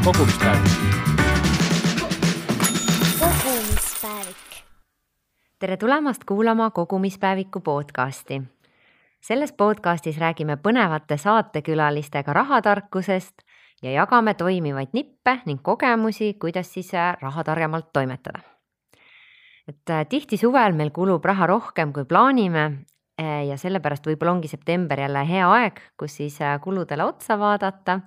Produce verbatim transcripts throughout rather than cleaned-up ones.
kogumispäevik. kogumispäevik. Tere tulemast kuulama Kogumispäeviku podcasti. Selles podcastis räägime põnevate saatekülalistega rahatarkusest ja jagame toimivaid nippe ning kogemusi, kuidas siis raha targemalt toimetada. Et tihti suvel meil kulub raha rohkem, kui plaanime ja sellepärast võib-olla ongi september jälle hea aeg, kus siis kuludele otsa vaadata.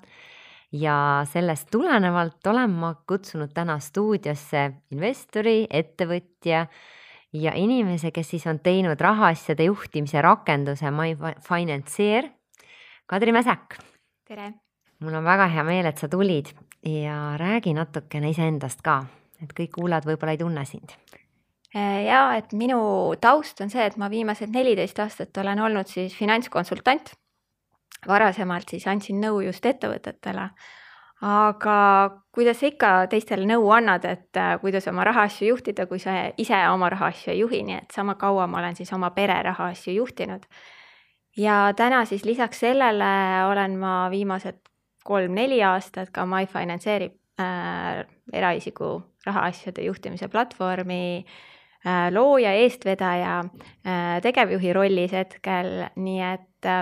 Ja sellest tulenevalt olen ma kutsunud täna stuudiosse investori, ettevõtja ja inimese, kes siis on teinud rahaasjade juhtimise rakenduse MyFinanceer, Kadri Mäsäk. Tere! Mul on väga hea meel, et sa tulid ja räägi natukene iseendast ka, et kõik kuulad võib-olla ei tunne sind. Ja, et minu taust on see, et ma viimased neliteist aastat olen olnud siis finantskonsultant. Varasemalt siis andsin nõu just ettevõtetele. Aga kuidas sa ikka teistele nõu annad, et kuidas oma rahaasju juhtida, kui sa ise oma rahaasju ei juhi, nii et sama kaua ma olen siis oma pere rahaasju juhtinud. Ja täna siis lisaks sellele olen ma viimased kolm-neli aastat ka MyFinanceeri äh, eraisiku rahaasjade juhtimise platvormi äh, looja, eestvedaja, äh, tegevjuhi rollis hetkel, nii et,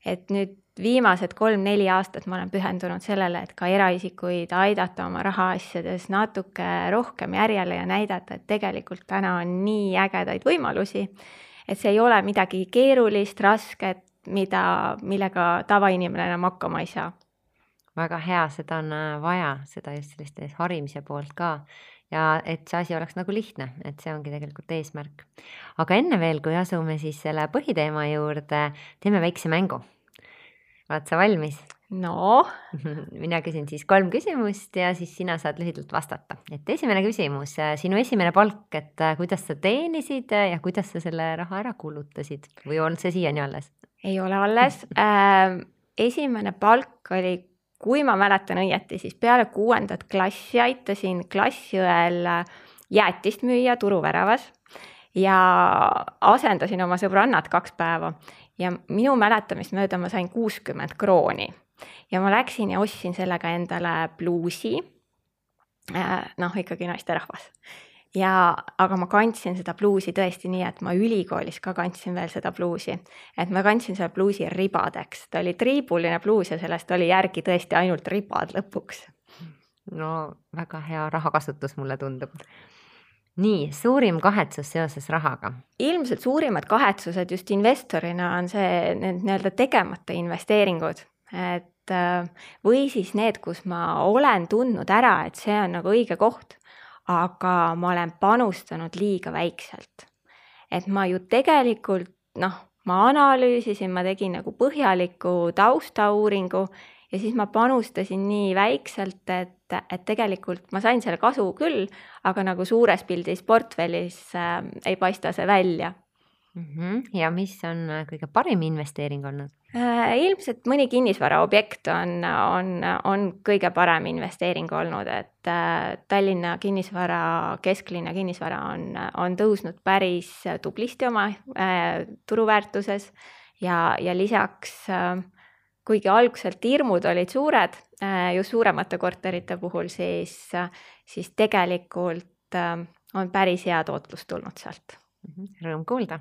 et nüüd viimased kolm-neli aastat ma olen pühendunud sellele, et ka eraisikuid aidata oma rahaasjades natuke rohkem järjele ja näidata, et tegelikult täna on nii ägedaid võimalusi, et see ei ole midagi keerulist, rasket, mida, millega tavainimene enam hakkama ei saa. Väga hea, seda on vaja, seda just sellist harimise poolt ka. Ja et see asi oleks nagu lihtne, et see ongi tegelikult eesmärk. Aga enne veel, kui asume siis selle põhiteema juurde, teeme väikse mängu. Oled sa valmis? No. Mina küsin siis kolm küsimust ja siis sina saad lühidalt vastata. Et esimene küsimus, sinu esimene palk, et kuidas sa teenisid ja kuidas sa selle raha ära kulutasid? Või on see siiani alles? Ei ole alles. Äh, esimene palk oli, kui ma mäletan õieti, siis peale kuuendat klassi aitasin klassiõel jäätist müüa turuväravas ja asendasin oma sõbrannad kaks päeva. Ja minu mäletamist mööda ma sain kuuskümmend krooni. Ja ma läksin ja ostsin sellega endale bluusi, noh ikkagi naisterahvas. Ja, aga ma kandsin seda bluusi tõesti nii, et ma ülikoolis ka kandsin veel seda bluusi. Et ma kandsin seda bluusi ribadeks. Ta oli triibuline bluus ja sellest oli järgi tõesti ainult ribad lõpuks. No väga hea rahakasutus mulle tundub. Nii, suurim kahetsus seoses rahaga? Ilmselt suurimad kahetsused just investorina on see need nii-öelda tegemata investeeringud. Et, või siis need, kus ma olen tundnud ära, et see on nagu õige koht, aga ma olen panustanud liiga väikselt. Et ma ju tegelikult, noh, ma analüüsisin, ma tegin nagu põhjaliku taustauuringu ja siis ma panustasin nii väikselt, et, et tegelikult ma sain selle kasu küll, aga nagu suures pildis portfellis äh, ei paista see välja. Mm-hmm. Ja mis on kõige parim investeering olnud? Äh, ilmselt mõni kinnisvara objekt on, on, on kõige parem investeering olnud, et äh, Tallinna kinnisvara, kesklinna kinnisvara on, on tõusnud päris tublisti oma äh, turuväärtuses ja, ja lisaks äh, kuigi alguselt hirmud olid suured, just suuremate korterite puhul, siis, siis tegelikult on päris hea tootlus tulnud sealt. Rõõm kuulda.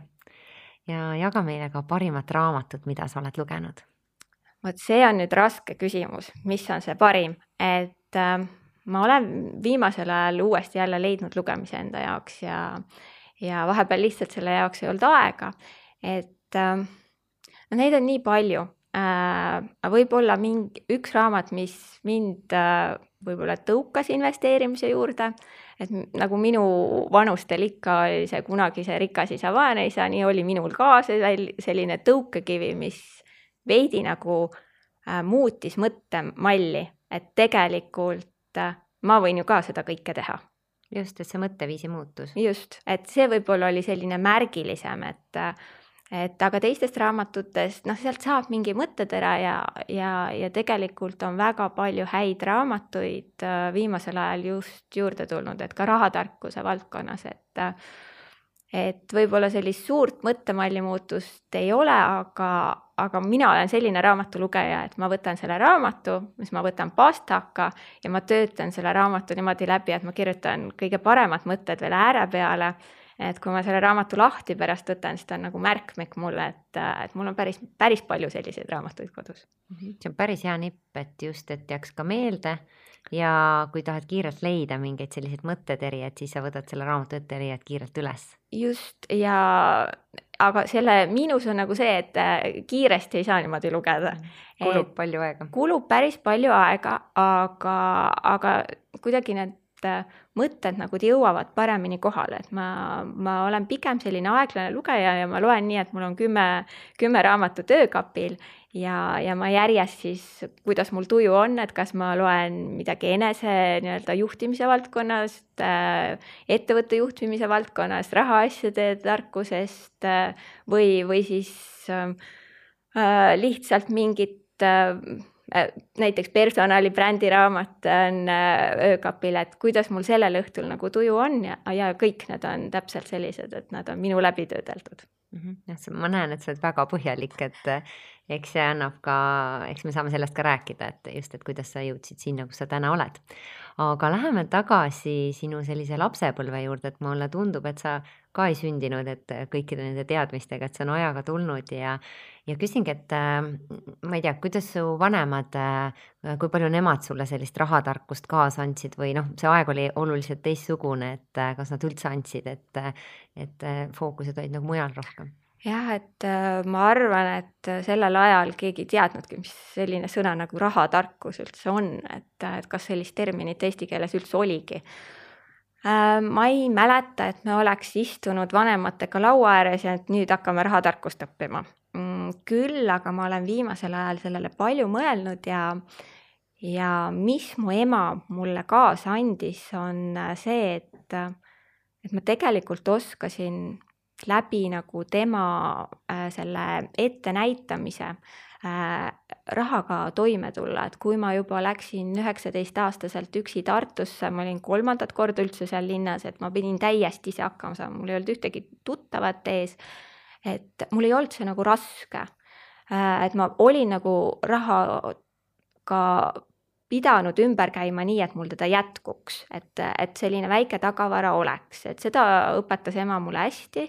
Ja jaga meile ka parimat raamatut, mida sa oled lugenud. Vot see on nüüd raske küsimus, mis on see parim. Et ma olen viimasel ajal uuesti jälle leidnud lugemise enda jaoks ja, ja vahepeal lihtsalt selle jaoks ei olnud aega. Et no neid on nii palju. Võib-olla mingi, üks raamat, mis mind võib-olla tõukas investeerimise juurde, et nagu minu vanustel ikka oli see kunagi see rikas isa, vaene isa, nii oli minul ka selline tõukekivi, mis veidi nagu muutis mõttemalli, et tegelikult ma võin ju ka seda kõike teha. Just, et see mõtteviisi muutus. Just, et see võib-olla oli selline märgilisem, et Et aga teistest raamatutest, noh, sealt saab mingi mõttetera ja, ja, ja tegelikult on väga palju häid raamatuid viimasel ajal just juurde tulnud, et ka rahatarkuse valdkonnas, et, et võib-olla sellist suurt mõttemalli muutust ei ole, aga, aga mina olen selline raamatulugeja, et ma võtan selle raamatu, mis ma võtan pastaka ja ma töötan selle raamatu niimoodi läbi, et ma kirjutan kõige paremad mõtted veel ääre peale. Et kui ma selle raamatu lahti pärast võtan, siis ta on nagu märkmik mulle, et, et mul on päris, päris palju selliseid raamatuid kodus. See on päris hea nipp, et just, et jääks ka meelde ja kui tahad kiirelt leida mingeid selliseid mõtteteri, et siis sa võtad selle raamatu ette ja leiad kiirelt üles. Just, ja aga selle miinus on nagu see, et kiiresti ei saa niimoodi lugeda. Kulub et palju aega. Kulub päris palju aega, aga, aga kuidagi need mõtted nagu jõuavad paremini kohale, et ma, ma olen pigem selline aeglane lugeja ja ma loen nii, et mul on kümme, kümme raamatu töökapil ja, ja ma järjest siis, kuidas mul tuju on, et kas ma loen midagi enese nii-öelda juhtimise valdkonnast, ettevõtte juhtimise valdkonnast, rahaasjade tarkusest või, või siis äh, lihtsalt mingit äh, näiteks personali brändiramat on öökapil, et kuidas mul sellel õhtul nagu tuju on ja, ja kõik need on täpselt sellised, et nad on minu läbi töödeldud. Mm-hmm. Ma näen, et sa oled väga põhjalik, et eks see annab ka, eks me saame sellest ka rääkida, et just, et kuidas sa jõudsid sinna, kus sa täna oled. Aga läheme tagasi sinu sellise lapsepõlve juurde, et mulle tundub, et sa ka ei sündinud, et kõikide nende teadmistega, et see on ajaga tulnud ja, ja küsingi, et ma ei tea, kuidas su vanemad, kui palju nemad sulle sellist rahatarkust kaasa andsid või noh, see aeg oli oluliselt teistsugune, et kas nad üldse andsid, et, et fookused olid nagu mujal rohkem? Jah, et ma arvan, et sellel ajal keegi ei teadnudki, mis selline sõna nagu rahatarkus üldse on, et, et kas sellist terminit eesti keeles üldse oligi. Ma ei mäleta, et me oleks istunud vanematega laua ääres ja et nüüd hakkame rahatarkust õppima. Küll, aga ma olen viimasel ajal sellele palju mõelnud ja, ja mis mu ema mulle kaasa andis, on see, et, et ma tegelikult oskasin läbi nagu tema äh, selle ettenäitamise äh, rahaga toime tulla, et kui ma juba läksin üheksateist aastaselt üksi Tartusse, ma olin kolmandat korda üldse seal linnas, et ma pidin täiesti ise hakkama saama, mul ei olnud ühtegi tuttavat ees, et mul ei olnud see nagu raske, äh, et ma olin nagu rahaga pidanud ümber käima nii, et mul teda jätkuks, et, et selline väike tagavara oleks, et seda õpetas ema mulle hästi.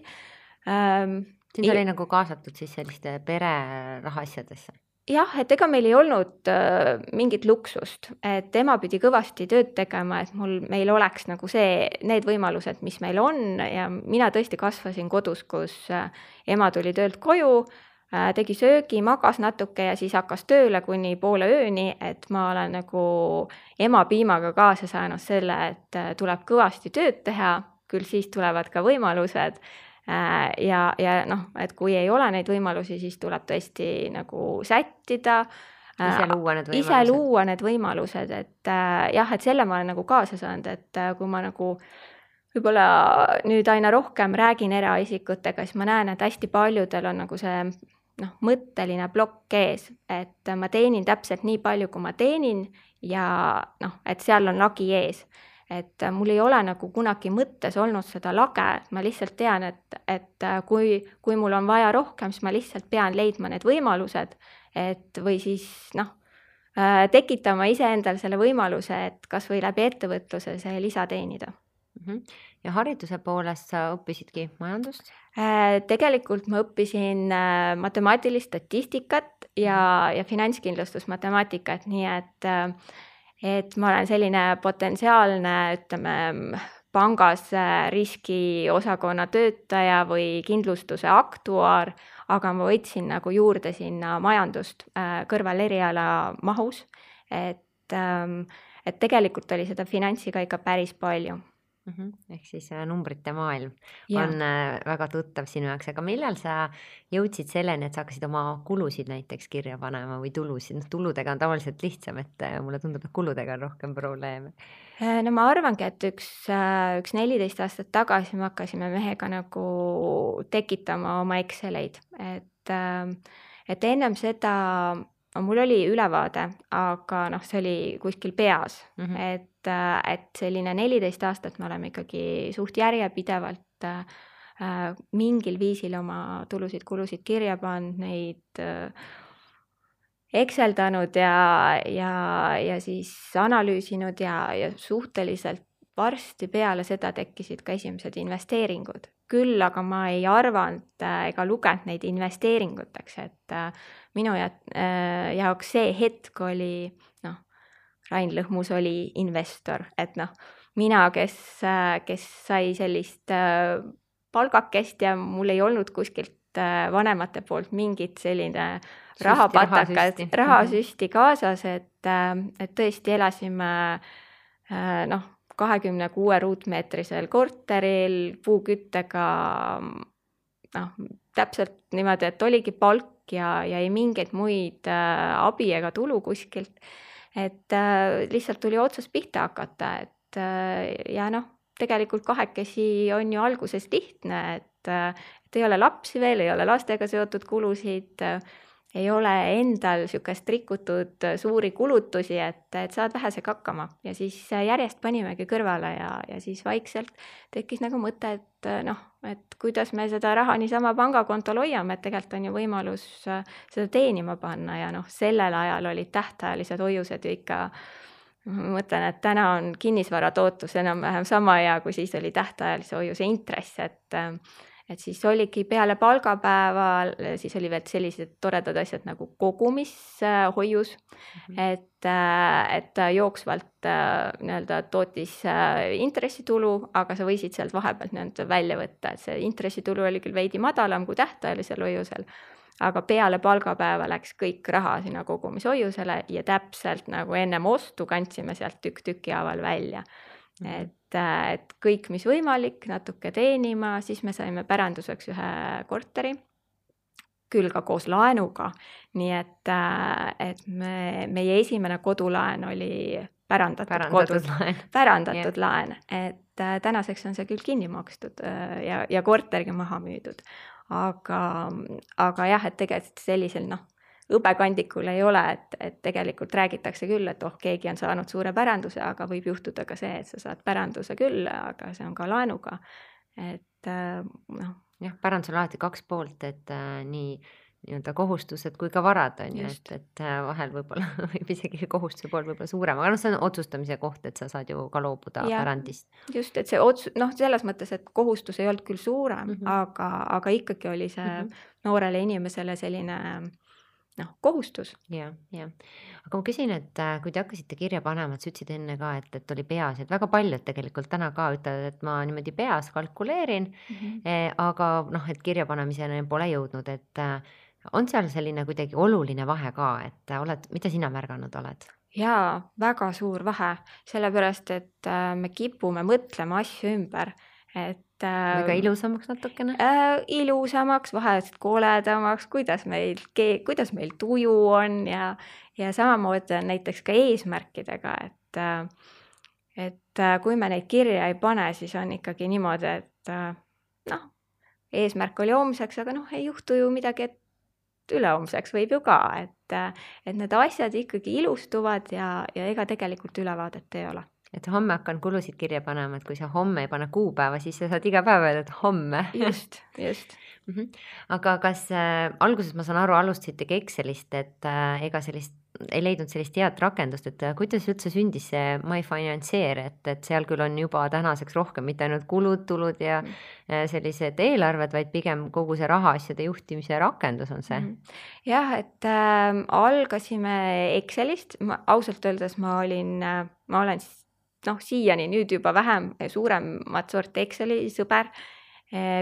Ähm, Siin oli nagu kaasatud siis selliste pere rahaasjadesse? Jah, et ega meil ei olnud äh, mingit luksust, et ema pidi kõvasti tööd tegema, et mul, meil oleks nagu see, need võimalused, mis meil on ja mina tõesti kasvasin kodus, kus äh, ema tuli töölt koju, tegi söögi, magas natuke ja siis hakkas tööle kuni poole ööni, et ma olen nagu ema piimaga kaasa saanud selle, et tuleb kõvasti tööd teha, küll siis tulevad ka võimalused ja, ja noh, et kui ei ole neid võimalusi, siis tuleb tõesti nagu sättida, ise luua need võimalused, ise luua need võimalused, et jah, et selle ma olen nagu kaasa saanud, et kui ma nagu võib-olla nüüd aina rohkem räägin eraisikutega, siis ma näen, et hästi paljudel on nagu see noh, mõtteline plokk ees, et ma teenin täpselt nii palju, kui ma teenin ja noh, et seal on lagi ees. Et mul ei ole nagu kunagi mõttes olnud seda lage, ma lihtsalt tean, et, et kui, kui mul on vaja rohkem, siis ma lihtsalt pean leidma need võimalused, et või siis noh, tekitama iseendal selle võimaluse, et kas või läbi ettevõtluse see lisa teenida. Ja hariduse poolest sa õppisidki majandust? Tegelikult ma õppisin matemaatilist statistikat ja, ja finantskindlustusmatemaatikat, nii et, et ma olen selline potentsiaalne, ütleme, pangas riskiosakonna töötaja või kindlustuse aktuaar, aga ma võtsin nagu juurde sinna majandust kõrval eriala mahus, et, et tegelikult oli seda finantsi ka ikka päris palju. Mm-hmm. Ehk siis numbrite maailm ja. on väga tuttav sinu jaoks, aga millal sa jõudsid selleni, et sa hakkasid oma kulusid näiteks kirja panema või tulusid? No, tuludega on tavaliselt lihtsam, et mulle tundub, et kuludega on rohkem probleeme. No ma arvangi, et üks, üks neliteist aastat tagasi me hakkasime mehega nagu tekitama oma Exceleid, et, et ennem seda mul oli ülevaade, aga noh, see oli kuskil peas, mm-hmm. et, et selline neliteist aastat me oleme ikkagi suht järjepidevalt äh, mingil viisil oma tulusid-kulusid kirja pannud, neid äh, ekseldanud ja, ja, ja siis analüüsinud ja, ja suhteliselt varsti peale seda tekkisid ka esimesed investeeringud. Küll aga ma ei arvanud äh, ega lugenud neid investeeringuteks, et äh, minu ja, äh, jaoks see hetk oli, noh, Rain Lõhmus oli investor, et noh, mina, kes, äh, kes sai sellist äh, palgakest ja mul ei olnud kuskilt äh, vanemate poolt mingit selline rahapatakat, rahasüsti kaasas, et, äh, et tõesti elasime äh, noh, kahekümne kuue ruutmeetrisel korteril, puuküttega, noh, täpselt niimoodi, et oligi palk ja, ja ei mingeid muid äh, abi ega tulu kuskilt. Et äh, lihtsalt tuli otsast pihta hakata, et äh, ja noh, tegelikult kahekesi on ju alguses lihtne, et, äh, et ei ole lapsi veel, ei ole lastega seotud kulusid, äh, ei ole endal sükest rikutud suuri kulutusi, et, et saad vähesega hakkama ja siis järjest panimegi kõrvale ja, ja siis vaikselt tekkis nagu mõte, et noh, et kuidas me seda raha niisama pangakontol hoiame, et tegelikult on ju võimalus seda teenima panna ja noh, sellel ajal olid tähtajalised hoiused ju ikka, ma mõtlen, et täna on kinnisvara tootlus enam-vähem sama hea, kui siis oli tähtajalise hoiuse intress, et et siis oligi peale palgapäeval, siis oli veel sellised toredad asjad nagu kogumishoius, mm-hmm. et, et jooksvalt nii-öelda tootis intressitulu, aga sa võisid sealt vahepealt nii-öelda välja võtta, et see intressitulu oli küll veidi madalam kui tähtajalisel hoiusel, aga peale palgapäeva läks kõik raha sinna kogumishoiusele ja täpselt nagu ennem ostu kandsime sealt tükk tüki haaval välja. Mm-hmm. Et, et kõik, mis võimalik, natuke teenima, siis me saime päranduseks ühe korteri, küll ka koos laenuga, nii et, et me, meie esimene kodulaen oli pärandatud, pärandatud kodud, laen, pärandatud yeah. laen, et tänaseks on see küll kinni makstud ja, ja kortergi maha müüdud, aga, aga jah, et tegelikult sellisel noh, õbekandikul ei ole, et, et tegelikult räägitakse küll, et oh, keegi on saanud suure päranduse, aga võib juhtuda ka see, et sa saad päranduse küll, aga see on ka laenuga. Et noh. Jah, pärandus on alati kaks poolt, et äh, nii nii-öelda kohustused kui ka varad on ju, et, et vahel võib-olla võib isegi kohustuse pool võib-olla suurem, aga noh, see on otsustamise koht, et sa saad ju ka loobuda ja, pärandist. Just, et see otsus, noh, selles mõttes, et kohustus ei olnud küll suurem, mm-hmm. aga, aga ikkagi oli see mm-hmm. noorele inimesele selline noh, kohustus. Ja, ja. Aga ma küsin, et kui te hakkasite kirja panema, et sa ütlesid enne ka, et, et oli peas, et väga paljud tegelikult täna ka ütlevad, et ma niimoodi peas kalkuleerin, mm-hmm. eh, aga noh, et kirja panemiseni pole jõudnud, et on seal selline kuidagi oluline vahe ka, et oled, mida sina märganud oled? Jaa, väga suur vahe, sellepärast, et me kipume mõtlema asju ümber, et väga ilusamaks natukene? Äh, ilusamaks, vahest koledamaks, kuidas meil, kuidas meil tuju on ja, ja samamoodi on näiteks ka eesmärkidega, et, et kui me neid kirja ei pane, siis on ikkagi niimoodi, et noh, eesmärk oli homseks, aga noh, ei juhtu ju midagi, et ülehomseks võib ju ka, et, et need asjad ikkagi ilustuvad ja, ja ega tegelikult ülevaadet ei ole. Et homme hakkan kulusid kirja panema, et kui sa homme ei pane kuupäeva, siis sa saad iga päev öelda, et homme. Just, just. mm-hmm. Aga kas äh, alguses ma saan aru, alustasitegi Excelist, et äh, ega sellist, ei leidnud sellist head rakendust, et äh, kuidas üldse sündis see MyFinanceer, et, et seal küll on juba tänaseks rohkem mitte ainult kulud, tulud ja mm. äh, sellised eelarved, vaid pigem kogu see rahaasjade juhtimise rakendus on see? Mm. Jah, et äh, algasime Excelist, ma, ausalt öeldes ma olin, äh, ma olen siis noh, siiani nüüd juba vähem suuremat sorti Exceli sõber.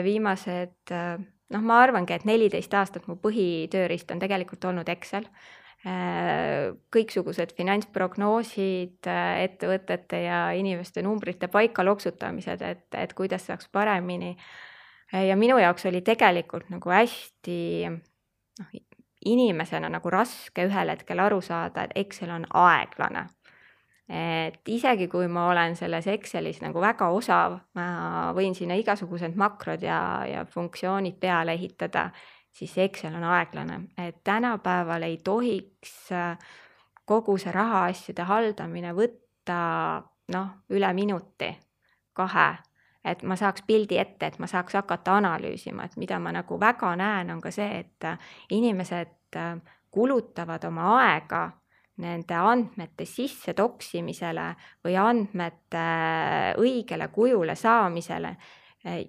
Viimased, noh, ma arvangi, et neliteist aastat mu põhitöörist on tegelikult olnud Excel. Kõiksugused finantsprognoosid, ettevõtete ja inimeste numbrite paika loksutamised, et, et kuidas saaks paremini. Ja minu jaoks oli tegelikult nagu hästi noh, inimesena nagu raske ühel hetkel aru saada, et Excel on aeglane. Et isegi kui ma olen selles Excelis nagu väga osav, ma võin sinna igasugused makrod ja, ja funktsioonid peale ehitada, siis Excel on aeglane. Et tänapäeval ei tohiks kogu see rahaasjade haldamine võtta noh, üle minuti, kahe. et ma saaks pildi ette, et ma saaks hakata analüüsima, et mida ma nagu väga näen, on ka see, et inimesed kulutavad oma aega nende andmete sisse toksimisele või andmete õigele kujule saamisele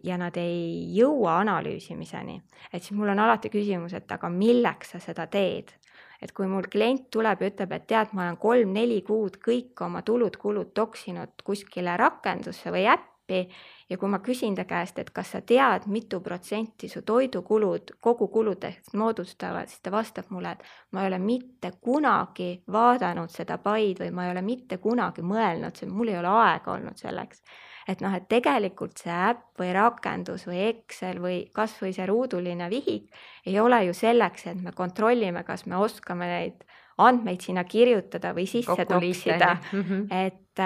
ja nad ei jõua analüüsimiseni. Et siis mul on alati küsimus, et aga milleks sa seda teed? Et kui mul klient tuleb ja ütleb, et tead, ma olen kolm-neli kuud kõik oma tulud-kulud toksinud kuskile rakendusse või äppi ja kui ma küsin ta käest, et kas sa tead, mitu protsenti su toidukulud kogu kuludest moodustavad, siis ta vastab mulle, et ma ei ole mitte kunagi vaadanud seda paid või ma ei ole mitte kunagi mõelnud, mul ei ole aega olnud selleks. Et noh, et tegelikult see äpp või rakendus või Excel või kas või see ruuduline vihik ei ole ju selleks, et me kontrollime, kas me oskame neid andmeid sinna kirjutada või sisse toksida. Mm-hmm. Et,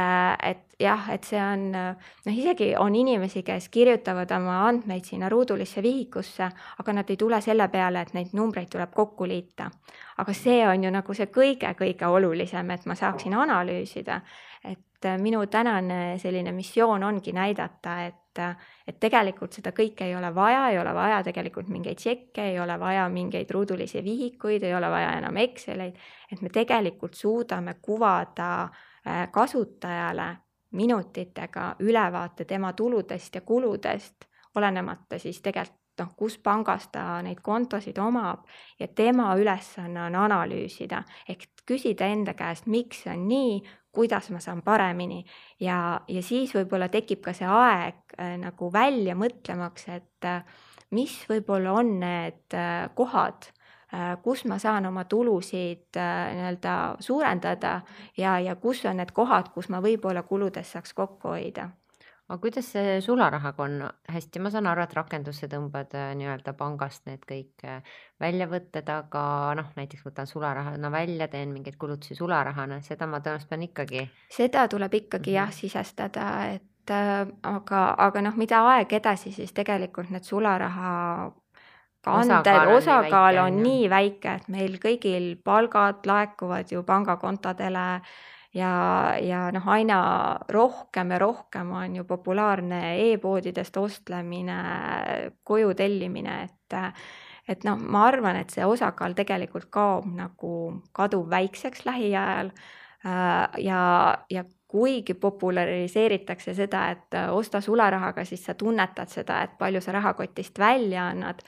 et jah, et see on, noh isegi on inimesi, kes kirjutavad oma andmeid sinna ruudulisse vihikusse, aga nad ei tule selle peale, et neid numbreid tuleb kokku liita. Aga see on ju nagu see kõige-kõige olulisem, et ma saaksin analüüsida. Et minu tänane selline missioon ongi näidata, et, et tegelikult seda kõike ei ole vaja, ei ole vaja tegelikult mingeid tšekke, ei ole vaja mingeid ruudulisi vihikuid, ei ole vaja enam Exceleid, et me tegelikult suudame kuvada kasutajale minutitega ülevaate tema tuludest ja kuludest, olenemata siis tegelikult noh, kus pangas ta neid kontosid omab ja tema ülesanne on analüüsida, ehk küsida enda käest, miks see on nii, kuidas ma saan paremini ja, ja siis võib-olla tekib ka see aeg äh, nagu välja mõtlemaks, et äh, mis võib-olla on need äh, kohad, äh, kus ma saan oma tulusid äh, nii-öelda suurendada ja, ja kus on need kohad, kus ma võib-olla kuludes saaks kokku hoida. Aga kuidas see sularahaga on? Hästi, ma saan aru, et rakendusse tõmbad nii-öelda pangast need kõik väljavõtted, aga noh, näiteks võtan sularahana välja, teen mingeid kulutusi sularahana, seda ma tõenäoliselt pean ikkagi. Seda tuleb ikkagi mm-hmm. jah sisestada, et äh, aga, aga noh, mida aeg edasi, siis tegelikult need sularaha kanded, osakaal on, osakaal on nii väike, et meil kõigil palgad laekuvad ju pangakontodele ja, ja noh, aina rohkem ja rohkem on ju populaarne e-poodidest ostlemine, koju tellimine, et, et noh, ma arvan, et see osakaal tegelikult kaob nagu kadub väikseks lähiajal ja, ja kuigi populariseeritakse seda, et osta sularahaga, siis sa tunnetad seda, et palju sa rahakotist välja annad,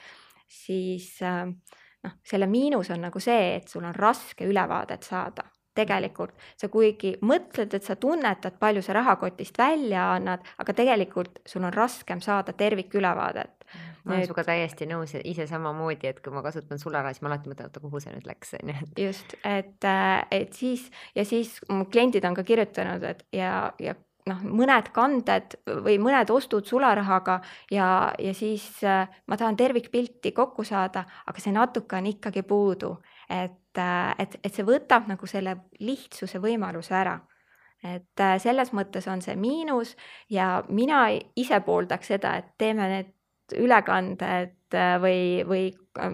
siis noh, selle miinus on nagu see, et sul on raske ülevaadet saada. Tegelikult sa kuigi mõtled, et sa tunnetad, palju sa rahakotist välja annad, aga tegelikult sul on raskem saada tervikülevaadet. Ma olen suga täiesti nõus ise samamoodi, et kui ma kasutan sularaha, siis ma alati mõtlen, kuhu see nüüd läks. Just, et, et siis ja siis kliendid on ka kirjutanud, et ja, ja noh, mõned kanded või mõned ostud sularahaga ja, ja siis ma tahan tervikpilti kokku saada, aga see natuke on ikkagi puudu. Et, et, et see võtab nagu selle lihtsuse võimaluse ära. Et selles mõttes on see miinus ja mina ise pooldaks seda, et teeme need ülekanded või, või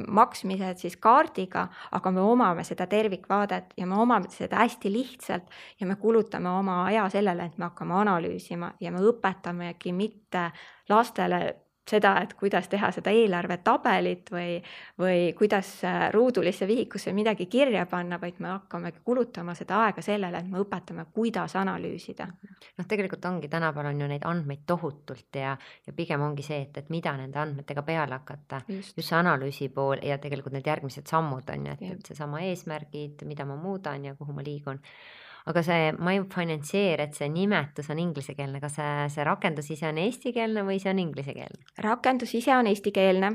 maksmised siis kaardiga, aga me omame seda tervikvaadet ja me omame seda hästi lihtsalt ja me kulutame oma aja sellele, et me hakkame analüüsima ja me õpetamegi mitte lastele seda, et kuidas teha seda eelarvetabelit või, või kuidas ruudulisse vihikusse midagi kirja panna, vaid me hakkame kulutama seda aega sellele, et me õpetame, kuidas analüüsida. Noh, tegelikult ongi, tänapäeval on ju neid andmeid tohutult ja, ja pigem ongi see, et, et mida nende andmetega peale hakata. Just, just see analüüsi pool ja tegelikult need järgmised sammud on ju, et, et see sama eesmärgid, mida ma muudan ja kuhu ma liigun. Aga see MyFinancier, et see nimetus on inglisekeelne, kas see, see rakendus ise on eestikeelne või see on inglisekeelne? Rakendus ise on eestikeelne,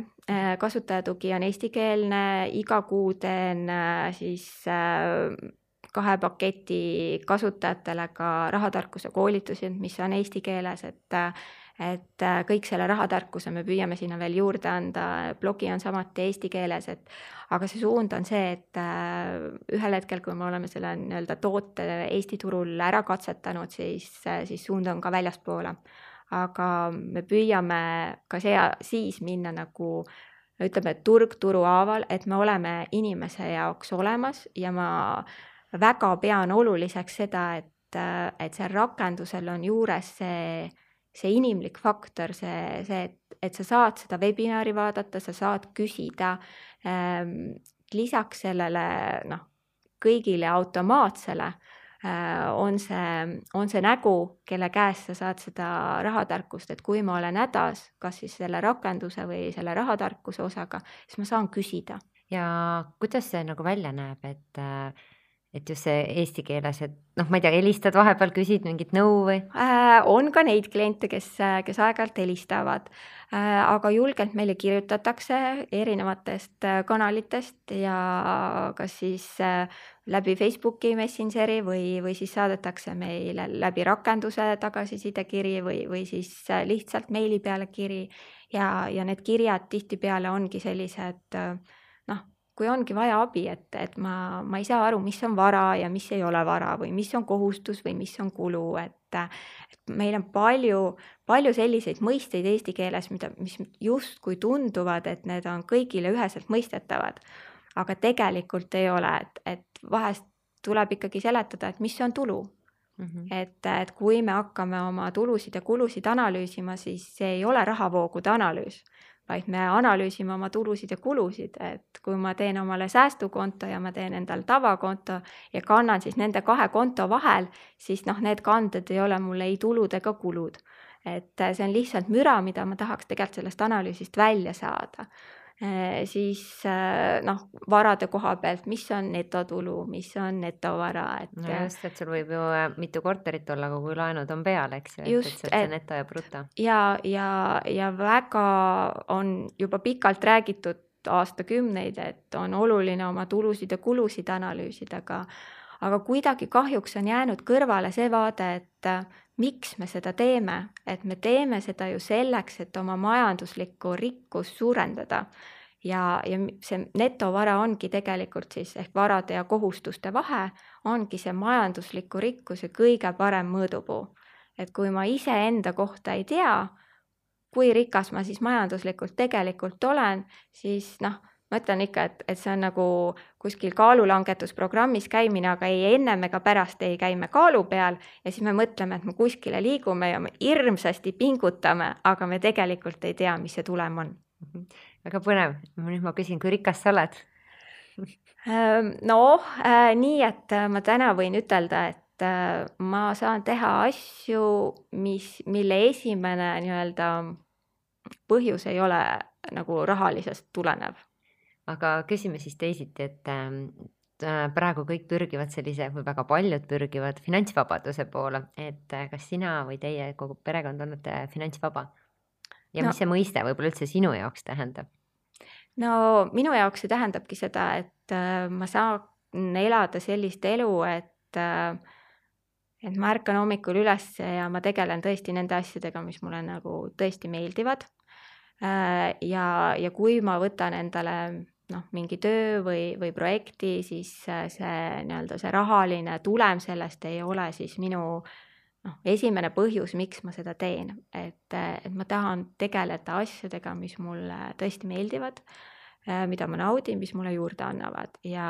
kasutajatugi on eestikeelne, iga kuu teen siis kahe paketi kasutajatele ka rahatarkuse koolitusi, mis on eesti keeles, et et kõik selle rahatarkuse me püüame sinna veel juurde anda, blogi on samati eesti keeles, et aga see suund on see, et ühel hetkel, kui me oleme selle nii-öelda toote Eesti turul ära katsetanud, siis, siis suund on ka väljaspoole. Aga me püüame ka see, siis minna nagu ütleme, turg turu haaval, et me oleme inimese jaoks olemas ja ma väga pean oluliseks seda, et, et see rakendusel on juures see see inimlik faktor, see, see, et, et sa saad seda webinari vaadata, sa saad küsida ähm, lisaks sellele noh, kõigile automaatsele äh, on see, on see nägu, kelle käest sa saad seda rahatarkust, et kui ma olen hädas, kas siis selle rakenduse või selle rahatarkuse osaga, siis ma saan küsida. Ja kuidas see nagu välja näeb, et, et just see eesti keeles, et noh, ma ei tea, helistad vahepeal, küsid mingit nõu või? Äh, on ka neid kliente, kes, kes aeg-ajalt helistavad, äh, aga julgelt meile kirjutatakse erinevatest kanalitest ja kas siis äh, läbi Facebooki Messengeri või, või siis saadetakse meile läbi rakenduse tagasisidekiri või, või siis lihtsalt meili peale kiri ja, ja need kirjad tihtipeale ongi sellised noh, kui ongi vaja abi, et, et ma, ma ei saa aru, mis on vara ja mis ei ole vara või mis on kohustus või mis on kulu, et, et meil on palju, palju selliseid mõisteid eesti keeles, mida, mis justkui tunduvad, et need on kõigile üheselt mõistetavad, aga tegelikult ei ole, et, et vahest tuleb ikkagi seletada, et mis on tulu. Mm-hmm. Et, et kui me hakkame oma tulusid ja kulusid analüüsima, siis see ei ole rahavoogude analüüs, vaid me analüüsime oma tulusid ja kulusid, et kui ma teen omale säästukonto ja ma teen endal tavakonto ja kannan siis nende kahe konto vahel, siis noh, need kanded ei ole mulle ei tulud ega kulud. Et see on lihtsalt müra, mida ma tahaks tegelikult sellest analüüsist välja saada. E, siis noh, varade koha pealt, mis on netotulu, mis on netovara. Et, no just, et sul võib ju mitu korterit olla, aga kui laenud on peal, eks ju, just, et, et see neto ja bruto. Ja, ja, ja väga on juba pikalt räägitud aastakümneid, et on oluline oma tulusid ja kulusid analüüsida, aga, aga kuidagi kahjuks on jäänud kõrvale see vaade, et miks me seda teeme, et me teeme seda ju selleks, et oma majanduslikku rikkust suurendada ja, ja see netovara ongi tegelikult siis ehk varade ja kohustuste vahe ongi see majandusliku rikkuse kõige parem mõõdupuu. Et kui ma ise enda kohta ei tea, kui rikas ma siis majanduslikult tegelikult olen, siis noh, ma ütlen ikka, et, et see on nagu kuskil kaalulangetusprogrammis käimine, aga ei ennem ega pärast ei käime kaalu peal ja siis me mõtleme, et me kuskile liigume ja me hirmsasti pingutame, aga me tegelikult ei tea, mis see tulem on. Väga põnev. Nüüd ma küsin, kui rikas sa oled? No, nii, et ma täna võin ütelda, et ma saan teha asju, mis, mille esimene nii-öelda põhjus ei ole nagu rahalisest tulenev. Aga küsime siis teisiti, et praegu kõik pürgivad sellise, või väga paljud pürgivad finantsvabaduse poole, et kas sina või teie kogu perekond olete finantsvaba? Ja no, mis see mõiste võib-olla üldse sinu jaoks tähendab? No minu jaoks see tähendabki seda, et ma saan elada sellist elu, et, et ma ärkan hommikul üles ja ma tegelen tõesti nende asjadega, mis mulle nagu tõesti meeldivad. Ja, ja kui ma võtan endale noh, mingi töö või, või projekti, siis see, nii-öelda see rahaline tulem sellest ei ole siis minu noh, esimene põhjus, miks ma seda teen. Et, et ma tahan tegeleda asjadega, mis mulle tõesti meeldivad, mida ma naudin, mis mulle juurde annavad. Ja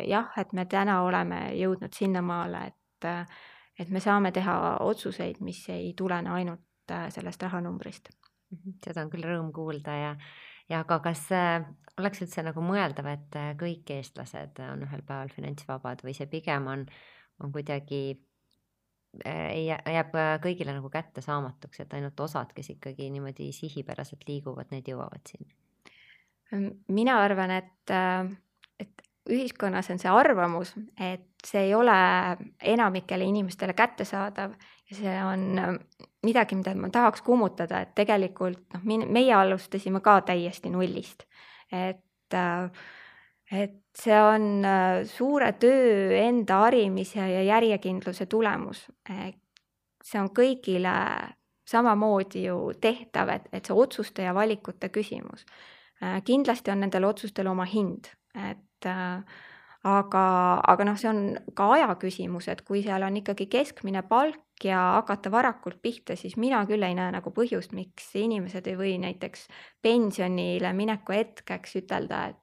jah, et me täna oleme jõudnud sinnamaale, et, et me saame teha otsuseid, mis ei tulene ainult sellest rahanumbrist. Seda on küll rõõm kuulda ja Ja aga kas oleks üldse nagu mõeldav, et kõik eestlased on ühel päeval finantsvabad või see pigem on, on kuidagi, jääb kõigile nagu kätte saamatuks, et ainult osad, kes ikkagi niimoodi sihipäraselt liiguvad, need jõuavad siin? Mina arvan, et, et ühiskonnas on see arvamus, et see ei ole enamikele inimestele kättesaadav ja see on midagi, mida ma tahaks kummutada, et tegelikult noh, meie alustasime ka täiesti nullist. Et, et see on suure töö enda harimise ja järjekindluse tulemus. See on kõigile samamoodi ju tehtav, et, et see otsuste ja valikute küsimus. Kindlasti on nendel otsustel oma hind, et aga, aga noh, see on ka aja küsimus, et kui seal on ikkagi keskmine palk ja hakata varakult pihta, siis mina küll ei näe nagu põhjust, miks inimesed ei või näiteks pensionile mineku hetkeks ütelda, et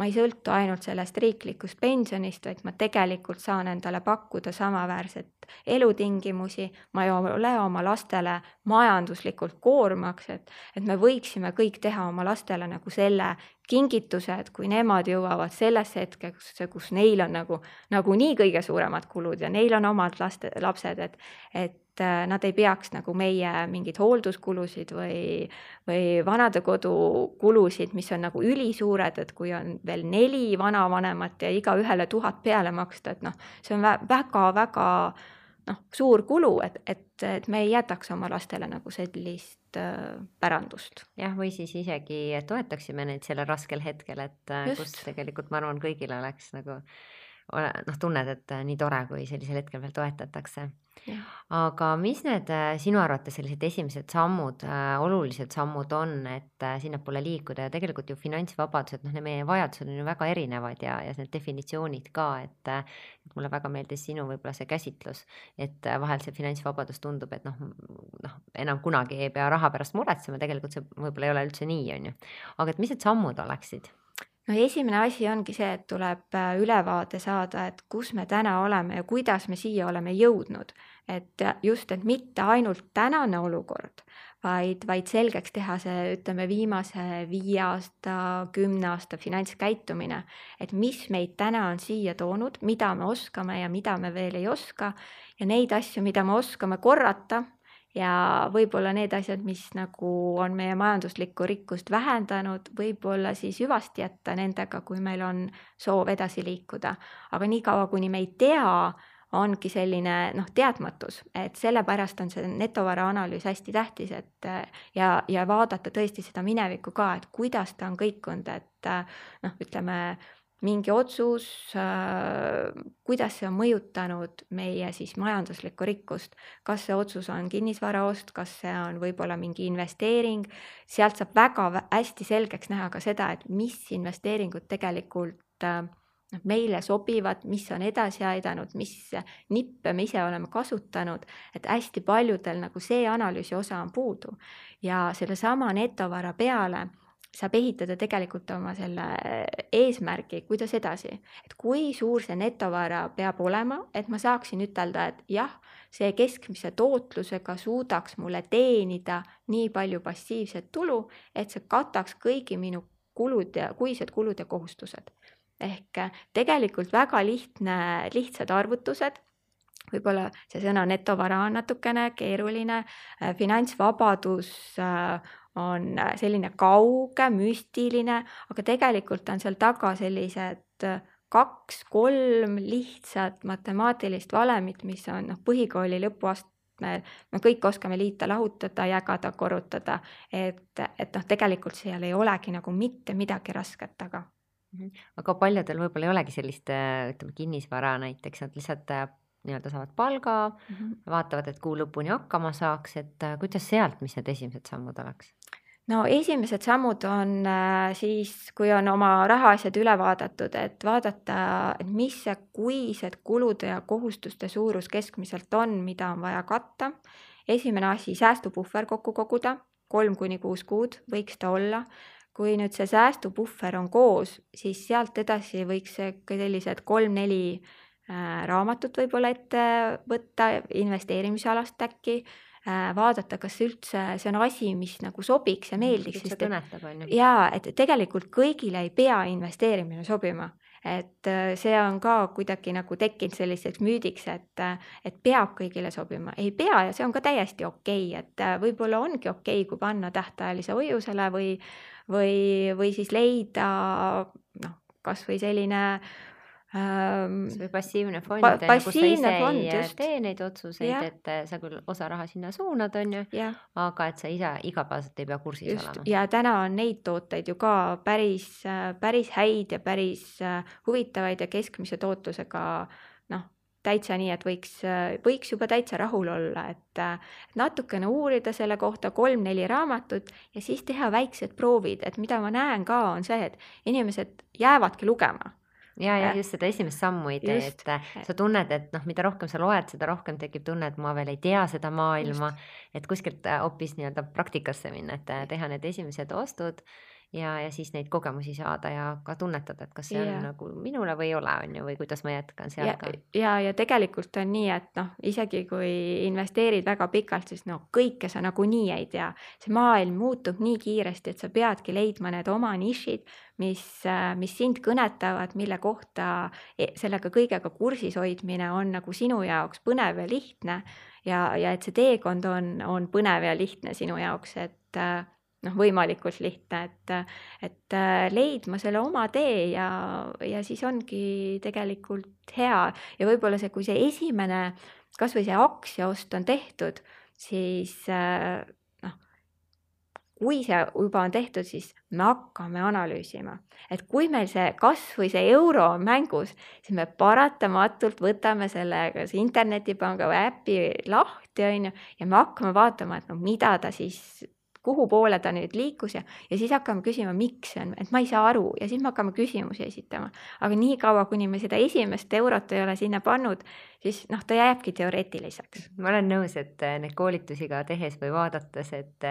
ma ei sõltu ainult sellest riiklikust pensionist, vaid ma tegelikult saan endale pakkuda samaväärset elutingimusi, ma ei ole oma lastele majanduslikult koormaks, et, et me võiksime kõik teha oma lastele nagu selle kingituse, et kui nemad jõuavad sellesse hetkeks, kus neil on nagu, nagu nii kõige suuremad kulud ja neil on omad laste, lapsed, et, et nad ei peaks nagu meie mingid hoolduskulusid või, või vanadekodu kulusid, mis on nagu ülisuured, et kui on veel neli vanavanemat ja iga ühele tuhat peale maksta, et noh, see on väga-väga noh, suur kulu, et, et, et me ei jätaks oma lastele nagu sellist äh, pärandust. jah, või siis isegi toetaksime neid selle raskel hetkel, et Just. kus tegelikult ma arvan, kõigil oleks nagu noh, tunned, et nii tore, kui sellisel hetkel veel toetatakse. Ja. Aga mis need sinu arvates sellised esimesed sammud, äh, olulised sammud on, et äh, sinnapoole liikuda ja tegelikult ju finantsvabadused, noh, meie vajadused on ju väga erinevad ja, ja need definitsioonid ka, et, et mulle väga meeldis sinu võib-olla see käsitlus, et vahel see finantsvabadus tundub, et noh, noh, enam kunagi ei pea raha pärast muretsema, tegelikult see võib-olla ei ole üldse nii, on ju. Aga et mis need sammud oleksid? No esimene asi ongi see, et tuleb ülevaade saada, et kus me täna oleme ja kuidas me siia oleme jõudnud. Et just, et mitte ainult tänane olukord, vaid, vaid selgeks teha see, ütleme, viimase viie aasta, kümne aasta finantskäitumine, et mis meid täna on siia toonud, mida me oskame ja mida me veel ei oska ja neid asju, mida me oskame korrata, ja võib-olla need asjad, mis nagu on meie majanduslikku rikkust vähendanud, võib-olla siis hüvasti jätta nendega, kui meil on soov edasi liikuda. Aga nii kaua, kuni me ei tea, ongi selline noh, teadmatus, et sellepärast on see netovara analüüs hästi tähtis, et ja, ja vaadata tõesti seda minevikku ka, et kuidas ta on kõikunud, et noh, ütleme, mingi otsus, kuidas see on mõjutanud meie siis majanduslikku rikkust, kas see otsus on kinnisvaraost, kas see on võib-olla mingi investeering, sealt saab väga hästi selgeks näha ka seda, et mis investeeringud tegelikult meile sobivad, mis on edasi aidanud, mis nippe me ise oleme kasutanud, et hästi paljudel nagu see analüüsi osa on puudu ja selle sama netovara peale saab ehitada tegelikult oma selle eesmärgi, kuidas edasi. Et kui suur see netovara peab olema, et ma saaksin ütelda, et jah, see keskmise tootlusega suudaks mulle teenida nii palju passiivset tulu, et see kataks kõigi minu kulud ja kuised kulud ja kohustused. Ehk tegelikult väga lihtne, lihtsad arvutused, võib-olla see sõna netovara on natukene keeruline, finantsvabadus on selline kauge, müstiline, aga tegelikult on seal taga sellised kaks, kolm lihtsat matemaatilist valemit, mis on noh, põhikooli lõpuastmel, me kõik oskame liita, lahutada, jagada, korrutada, et, et noh, tegelikult seal ei olegi nagu mitte midagi rasket taga. Aga paljudel võib-olla ei olegi sellist, ütleme, kinnisvara näiteks, nad lihtsalt nii-öelda saavad palga, mm-hmm. vaatavad, et kuu lõpuni hakkama saaks, et kuidas sealt, mis need esimesed sammud oleks? No esimesed sammud on siis, kui on oma rahaasjad üle vaadatud, et vaadata, et mis see kuised kulude ja kohustuste suurus keskmiselt on, mida on vaja katta. Esimene asi, säästupuhver kokku koguda, kolm kuni kuus kuud võiks ta olla. Kui nüüd see säästupuhver on koos, siis sealt edasi võiks sellised kolm-neli raamatut võib-olla ette võtta, investeerimisalast äkki, vaadata, kas üldse see on asi, mis nagu sobiks ja meeldiks. Sest, kõnetab, on ju. Jaa, et tegelikult kõigile ei pea investeerimine sobima. Et see on ka kuidagi nagu tekkinud selliseks müüdiks, et, et peab kõigile sobima. Ei pea ja see on ka täiesti okei, et võib-olla ongi okei, kui panna tähtajalise hoiusele või, või, või siis leida noh, kas või selline või passiivne fond, pa- kus passiivne sa ise fond, ei just. tee neid otsuseid, Ja. et sa küll osa raha sinna suunad, on ju, Ja. aga et sa ise igapäevaselt ei pea kursis Just. olema. Ja täna on neid tooteid ju ka päris, päris häid ja päris huvitavaid ja keskmise tootlusega noh, täitsa nii, et võiks, võiks juba täitsa rahul olla, et natukene uurida selle kohta kolm-neli raamatut ja siis teha väiksed proovid, et mida ma näen ka on see, et inimesed jäävadki lugema. ja, ja just seda esimest sammu ei tee, Just. et sa tunned, et noh, mida rohkem sa loed, seda rohkem tekib tunne, et ma veel ei tea seda maailma, et kuskilt äh, hoopis nii-öelda praktikasse minna, et äh, teha need esimesed ostud ja, ja siis neid kogemusi saada ja ka tunnetada, et kas see on Jaa. nagu minule või ei ole, on ju, või kuidas ma jätkan seal ja, ka. ja, ja tegelikult on nii, et noh, isegi kui investeerid väga pikalt, siis no kõike sa nagunii ei tea. See maailm muutub nii kiiresti, et sa peadki leidma need oma nišid, mis, äh, mis sind kõnetavad, mille kohta e- sellega kõigega kursis hoidmine on nagu sinu jaoks põnev ja lihtne ja, ja et see teekond on, on põnev ja lihtne sinu jaoks, et äh, noh, võimalikult lihtne, et, et äh, leidma selle oma tee ja, ja siis ongi tegelikult hea. Ja võib-olla see, kui see esimene, kas või see aktsiaost on tehtud, siis äh, noh, kui see juba on tehtud, siis me hakkame analüüsima. Et kui meil see kas või see euro on mängus, siis me paratamatult võtame selle kas internetipanga või äpi lahti, on ju, ja me hakkame vaatama, et no mida ta siis kuhu poole ta nüüd liikus ja, ja siis hakkame küsima, miks see on, et ma ei saa aru ja siis me hakkame küsimusi esitama. Aga nii kaua, kuni me seda esimest eurot ei ole sinna pannud, siis noh, ta jääbki teoreetiliseks. Ma olen nõus, et need koolitusi ka tehes või vaadates, et,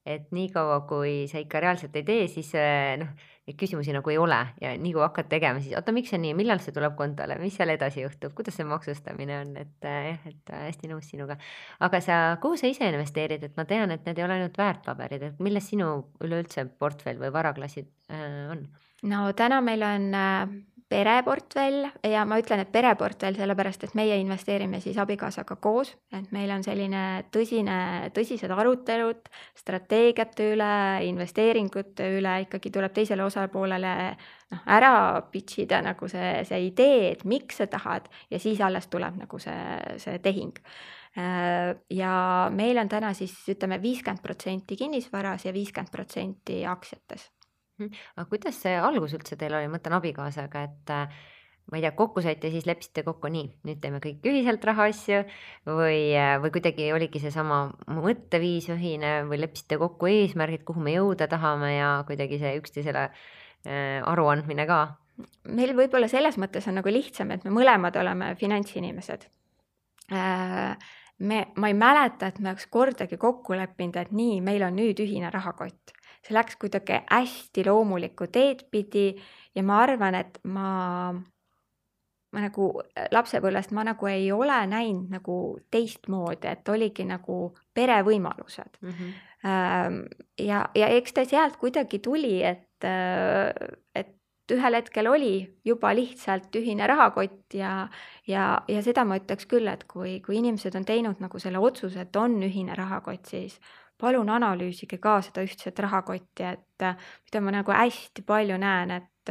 et nii kaua, kui sa ikka reaalselt ei tee, siis noh, neid küsimusi nagu ei ole ja nii kui hakkad tegema, siis oota, miks see nii, millal see tuleb kontole, mis seal edasi juhtub, kuidas see maksustamine on, et jah, et hästi nõus sinuga. Aga sa, kuhu sa ise investeerid, et ma tean, et need ei ole ainult väärtpaberid, et milles sinu üleüldse portfell või varaklassid äh, on? No täna meil on äh, pereportfell ja ma ütlen, et pereportfell sellepärast, et meie investeerime siis abikaasaga koos, et meil on selline tõsine, tõsised arutelud strateegiate üle, investeeringute üle, ikkagi tuleb teisele osapoolele noh, ära pitchida nagu see, see idee, et miks sa tahad ja siis alles tuleb nagu see, see tehing. Ja meil on täna siis ütleme viiskümmend protsenti kinnisvaras ja viiskümmend protsenti aktsiates. Aga kuidas see algus üldse teil oli, mõtlen abikaasaga, et ma ei tea, kokku saite ja siis lepsite kokku nii, nüüd teeme kõik ühiselt rahaasju või, või kuidagi oligi see sama mõtteviis ühine või lepsite kokku eesmärgid, kuhu me jõuda tahame ja kuidagi see üksteisele aruandmine ka? Meil võib-olla selles mõttes on nagu lihtsam, et me mõlemad oleme finantsinimesed. Me, ma ei mäleta, et me oleks kordagi kokku leppinud, et nii, meil on nüüd ühine rahakott. See läks kuidagi hästi loomulikku teed pidi ja ma arvan, et ma, ma nagu lapsepõlvest ma nagu ei ole näinud nagu teistmoodi, et oligi nagu perevõimalused. Mm-hmm. Ja, ja eks ta sealt kuidagi tuli, et, et ühel hetkel oli juba lihtsalt ühine rahakott ja, ja, ja seda ma ütleks küll, et kui, kui inimesed on teinud nagu selle otsuse, et on ühine rahakott, siis palun analüüsige ka seda ühtset rahakotti, et mida ma nagu hästi palju näen, et,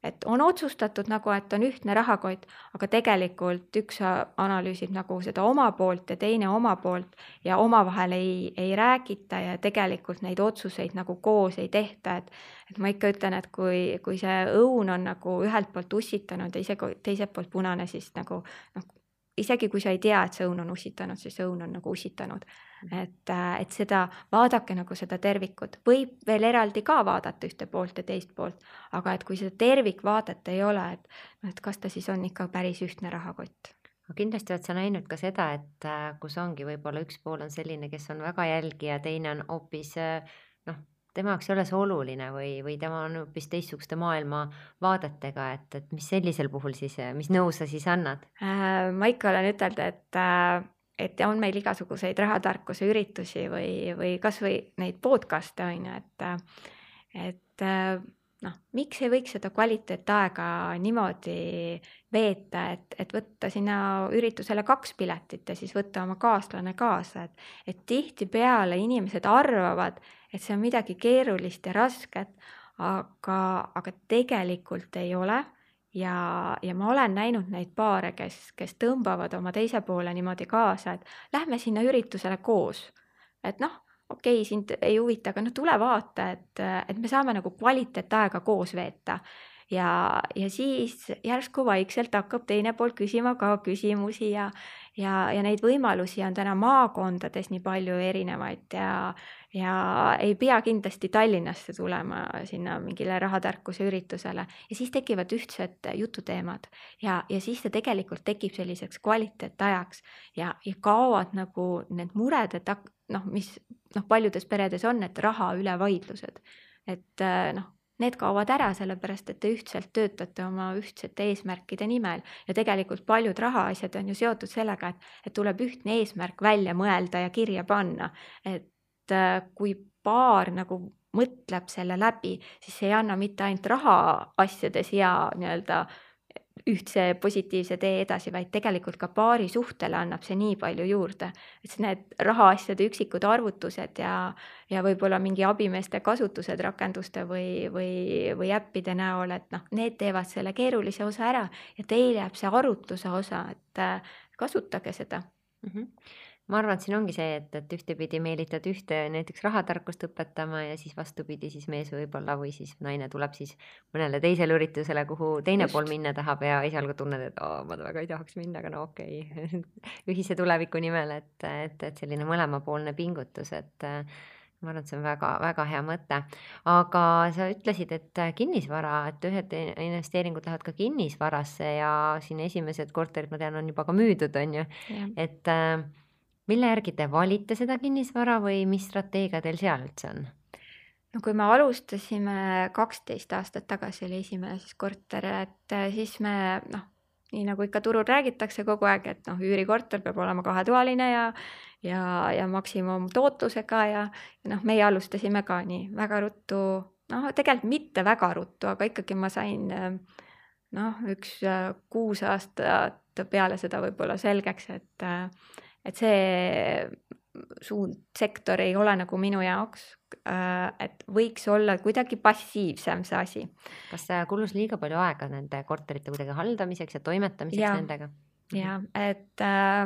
et on otsustatud nagu, et on ühtne rahakott, aga tegelikult üks analüüsib nagu seda oma poolt ja teine oma poolt ja omavahel ei, ei räägita ja tegelikult neid otsuseid nagu koos ei tehta, et, et ma ikka ütlen, et kui, kui see õun on nagu ühelt poolt ussitanud ja ise teiselt poolt punane, siis nagu noh, isegi kui sa ei tea, et see õun on ussitanud, siis õun on nagu ussitanud. Et, et seda, vaadake nagu seda tervikut. Võib veel eraldi ka vaadata ühte poolt ja teist poolt, aga et kui seda tervikvaadet ei ole, et, et kas ta siis on ikka päris ühtne rahakott. Kindlasti oled sa näinud ka seda, et kus ongi võib-olla üks pool on selline, kes on väga jälgija, teine on hoopis noh, tema jaoks ei ole see oluline või, või tema on hoopis teistsuguste maailma vaadetega, et, et mis sellisel puhul siis, mis nõu sa siis annad? Äh, ma ikka olen ütelnud, et, et on meil igasuguseid rahatarkuse üritusi või, või kas või neid podcast'e on ju, et, et noh, miks ei võiks seda kvaliteetaega niimoodi veeta, et, et võtta sinna üritusele kaks piletit ja siis võtta oma kaaslane kaasa, et, et tihti peale inimesed arvavad, et see on midagi keerulist ja rasket, aga, aga tegelikult ei ole ja, ja ma olen näinud neid paare, kes, kes tõmbavad oma teise poole niimoodi kaasa, et lähme sinna üritusele koos, et noh, okei, sind ei huvita, aga no tule vaata, et, et me saame nagu kvaliteetaega koos veeta. ja, ja siis järsku vaikselt hakkab teine pool küsima ka küsimusi ja, ja, ja neid võimalusi on täna maakondades nii palju erinevaid ja, ja ei pea kindlasti Tallinnasse tulema sinna mingile rahatarkuse üritusele ja siis tekivad ühtsed jututeemad ja, ja siis see tegelikult tekib selliseks kvaliteetajaks ja, ja kaovad nagu need mured, et noh, mis noh, paljudes peredes on, et raha üle vaidlused, et noh, need kaovad ära, sellepärast, et te ühtselt töötate oma ühtsete eesmärkide nimel ja tegelikult paljud rahaasjad on ju seotud sellega, et, et tuleb ühtne eesmärk välja mõelda ja kirja panna, et kui paar nagu mõtleb selle läbi, siis see ei anna mitte ainult rahaasjades hea nii-öelda ühtse positiivse tee edasi, vaid tegelikult ka paari suhtele annab see nii palju juurde, et need rahaasjade üksikud arvutused ja, ja võib-olla mingi abimeeste kasutused rakenduste või, või, või äppide näol, et noh, need teevad selle keerulise osa ära ja teil jääb see arutluse osa, et kasutage seda. Mm-hmm. Ma arvan, et siin ongi see, et, et ühtepidi meelitad ühte näiteks rahatarkust õpetama ja siis vastupidi siis mees võib-olla või siis naine tuleb siis mõnele teisele üritusele, kuhu teine Just. pool minna tahab ja esialgu tunned, et oh, ma väga ei tahaks minna, aga no okei, okay. ühise tuleviku nimel, et, et, et selline mõlemapoolne pingutus, et ma arvan, et see on väga, väga hea mõte. Aga sa ütlesid, et kinnisvara, et ühed investeeringud lähevad ka kinnisvarasse ja siin esimesed korterid, ma tean, on juba ka müüdud, on ju, yeah. et mille järgi te valite seda kinnisvara või mis strateegia teil seal üldse on? No kui me alustasime kaksteist aastat tagasi oli esimene siis korter, et siis me, noh, nii nagu ikka turul räägitakse kogu aeg, et noh, üürikorter peab olema kahetoaline ja, ja, ja maksimum tootlusega ja, ja noh, meie alustasime ka nii väga ruttu, noh, tegelikult mitte väga ruttu, aga ikkagi ma sain noh, üks kuus aastat peale seda võib-olla selgeks, et et see suund sektor ei ole nagu minu jaoks, et võiks olla kuidagi passiivsem see asi. Kas see kulus liiga palju aega nende korterite kuidagi haldamiseks ja toimetamiseks ja, nendega? Ja, et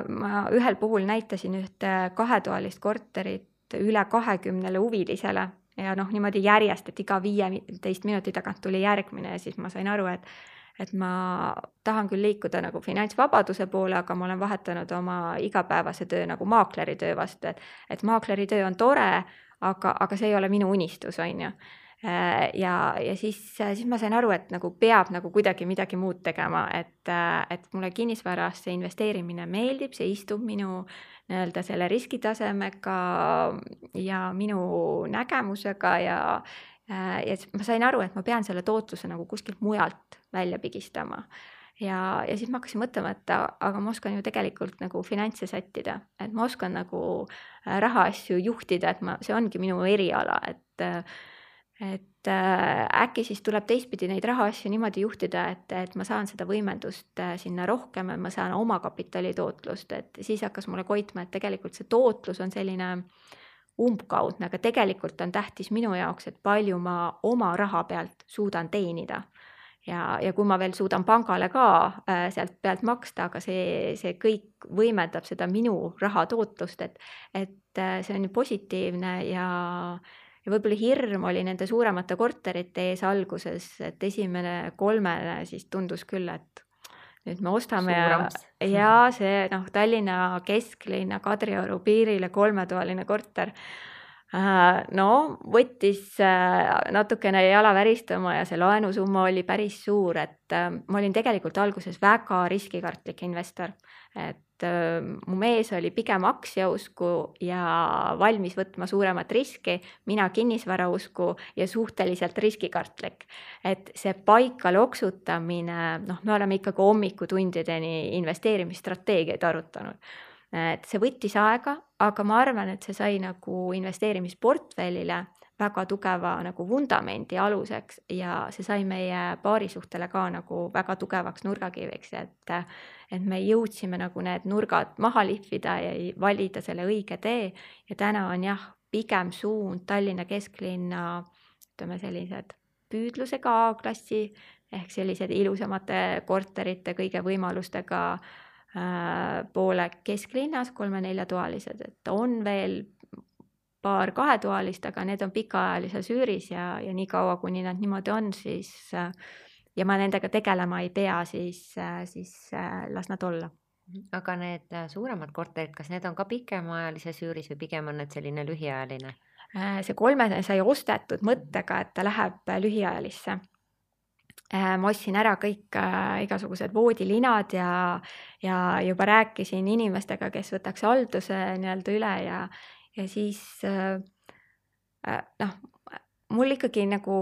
ma ühel puhul näitasin ühte kahetoalist korterit üle kahekümnele huvilisele ja noh, niimoodi järjest, et iga viieteist minuti tagant tuli järgmine ja siis ma sain aru, et et ma tahan küll liikuda nagu finantsvabaduse poole, aga ma olen vahetanud oma igapäevase töö nagu maakleri töö vastu, et, et maakleri töö on tore, aga, aga see ei ole minu unistus, on ju. Ja, ja siis, siis ma sain aru, et nagu peab nagu kuidagi midagi muud tegema, et, et mulle kinnisvarasse investeerimine meeldib, see istub minu nii-öelda selle riskitasemega ja minu nägemusega ja ja ma sain aru, et ma pean selle tootluse nagu kuskilt mujalt välja pigistama. Ja, ja siis ma hakkasin mõtlema, et aga ma oskan ju tegelikult nagu finantse sättida, et ma oskan nagu rahaasju juhtida, et ma, see ongi minu eriala, et, et äkki siis tuleb teistpidi neid rahaasju niimoodi juhtida, et, et ma saan seda võimendust sinna rohkem, et ma saan oma kapitali tootlust, et siis hakkas mulle koitma, et tegelikult see tootlus on selline umbkaudne, aga tegelikult on tähtis minu jaoks, et palju ma oma raha pealt suudan teenida. Ja, ja kui ma veel suudan pangale ka äh, sealt pealt maksta, aga see, see kõik võimendab seda minu raha tootlust, et, et äh, see on positiivne ja, ja võib-olla hirm oli nende suuremate korterite ees alguses, et esimene kolmene siis tundus küll, et nüüd me ostame Suurams. ja, ja see noh, Tallinna kesklinna Kadrioru piirile kolmetoaline korter, no võttis natukene jala väristama ja see laenusumma oli päris suur, et ma olin tegelikult alguses väga riskikartlik investor, et mu mees oli pigem aktsiausku ja valmis võtma suuremat riski, mina kinnisvarausku ja suhteliselt riskikartlik. Et see paika loksutamine, noh, me oleme ikkagi hommikutundideni investeerimisstrateegiaid arutanud. Et see võttis aega, aga ma arvan, et see sai nagu investeerimisportfellile väga tugeva nagu vundamendi aluseks ja see sai meie paarisuhtele ka nagu väga tugevaks nurgakiviks, et, et me jõudsime nagu need nurgad maha lihvida ja valida selle õige tee ja täna on jah, pigem suund Tallinna kesklinna, ütleme sellised püüdlusega A-klassi ehk sellised ilusamate korterite kõige võimalustega äh, poole kesklinnas, kolme-neljatoalised, et on veel paar kahetoalist, aga need on pikaajalises üüris ja, ja nii kaua, kuni nad niimoodi on, siis ja ma nendega tegelema ei pea, siis, siis las nad olla. Aga need suuremad korterid, kas need on ka pikemaajalises üüris või pigem on need selline lühiajaline? See kolmene sai ostetud mõttega, et ta läheb lühiajalisse. Ma ostsin ära kõik igasugused voodilinad ja, ja juba rääkisin inimestega, kes võtaks halduse nii-öelda üle ja, ja siis noh, mul ikkagi nagu,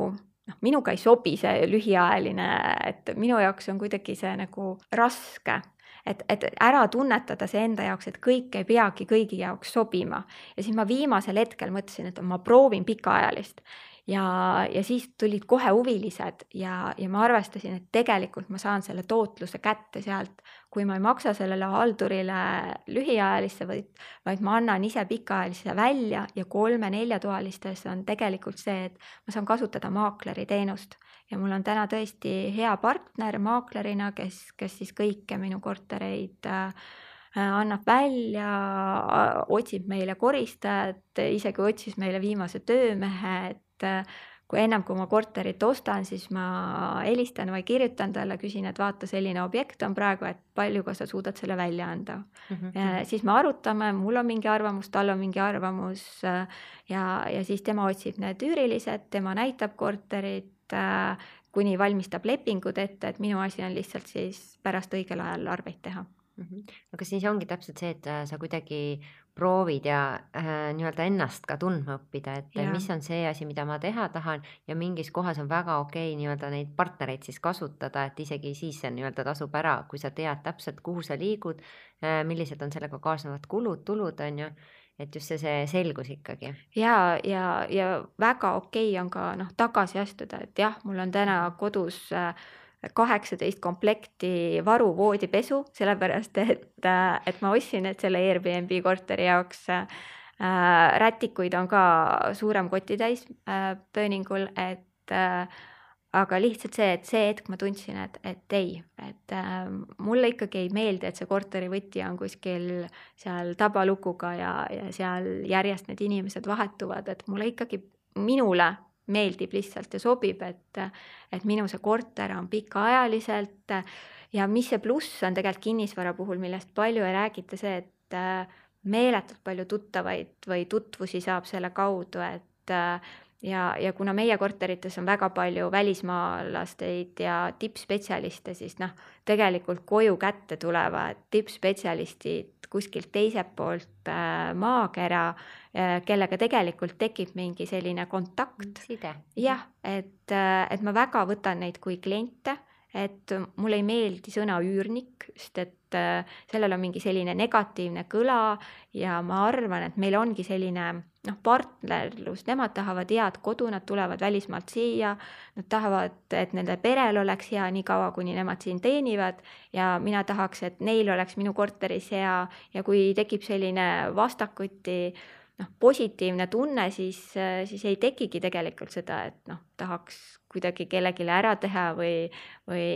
noh, minuga ei sobi see lühiajaline, et minu jaoks on kuidagi see nagu raske. Et, et ära tunnetada see enda jaoks, et kõik ei peagi kõigi jaoks sobima. Ja siis ma viimasel hetkel mõtlesin, et ma proovin pikaajalist. Ja, ja siis tulid kohe huvilised ja, ja ma arvestasin, et tegelikult ma saan selle tootluse kätte sealt, kui ma ei maksa sellele haldurile lühiajalisse, vaid, vaid ma annan ise pikaajalisse välja ja kolme-neljatoalistes on tegelikult see, et ma saan kasutada maakleri teenust. Ja mul on täna tõesti hea partner maaklerina, kes, kes siis kõike minu kortereid äh, annab välja, otsib meile koristajat, isegi otsis meile viimase töömehe, et äh, kui ennem kui ma korterit ostan, siis ma helistan või kirjutan talle, küsin, et vaata, selline objekt on praegu, et palju ka sa suudad selle välja anda. Mm-hmm. Ja siis me arutame, mul on mingi arvamus, tal on mingi arvamus äh, ja, ja siis tema otsib need üürilised, tema näitab korterit, kuni valmistab lepingud ette, et minu asi on lihtsalt siis pärast õigel ajal arveid teha. Mm-hmm. Aga siis ongi täpselt see, et sa kuidagi proovid ja äh, nii-öelda ennast ka tundma õppida, et ja. Mis on see asi, mida ma teha tahan ja mingis kohas on väga okei nii-öelda neid partnereid siis kasutada, et isegi siis see nii-öelda tasub ära, kui sa tead täpselt, kuhu sa liigud, äh, millised on sellega kaasnevad kulud, tulud on ju, et just see, see selgus ikkagi. Ja, ja, ja väga okei on ka noh, tagasi astuda, et jah, mul on täna kodus kaheksateist komplekti varu voodipesu, sellepärast et, et ma ostsin need selle Airbnb korteri jaoks. Rätikuid on ka suurem kotitäis pööningul, et aga lihtsalt see, et see hetk ma tundsin, et, et ei, et äh, mulle ikkagi ei meeldi, et see korteri võti on kuskil seal tabalukuga ja, ja seal järjest need inimesed vahetuvad, et mulle ikkagi, minule meeldib lihtsalt ja sobib, et, et minu see korter on pikaajaliselt ja mis see pluss on tegelikult kinnisvara puhul, millest palju ei räägita, see, et äh, meeletult palju tuttavaid või tutvusi saab selle kaudu, et äh, Ja, ja kuna meie korterites on väga palju välismaalasteid ja tippspetsialiste, siis noh, tegelikult koju kätte tulevad tippspetsialistid kuskilt teiselt poolt äh, maakera, äh, kellega tegelikult tekib mingi selline kontakt. Side. Jah, et, et ma väga võtan neid kui kliente, et mulle ei meeldi sõna üürnik, sest et äh, sellel on mingi selline negatiivne kõla ja ma arvan, et meil ongi selline noh, partnerlus, nemad tahavad head kodu, nad tulevad välismaalt siia, nad tahavad, et nende perel oleks hea nii kaua, kuni nemad siin teenivad ja mina tahaks, et neil oleks minu korteris hea ja kui tekib selline vastakuti noh, positiivne tunne, siis, siis ei tekigi tegelikult seda, et noh, tahaks kuidagi kellegile ära teha või, või,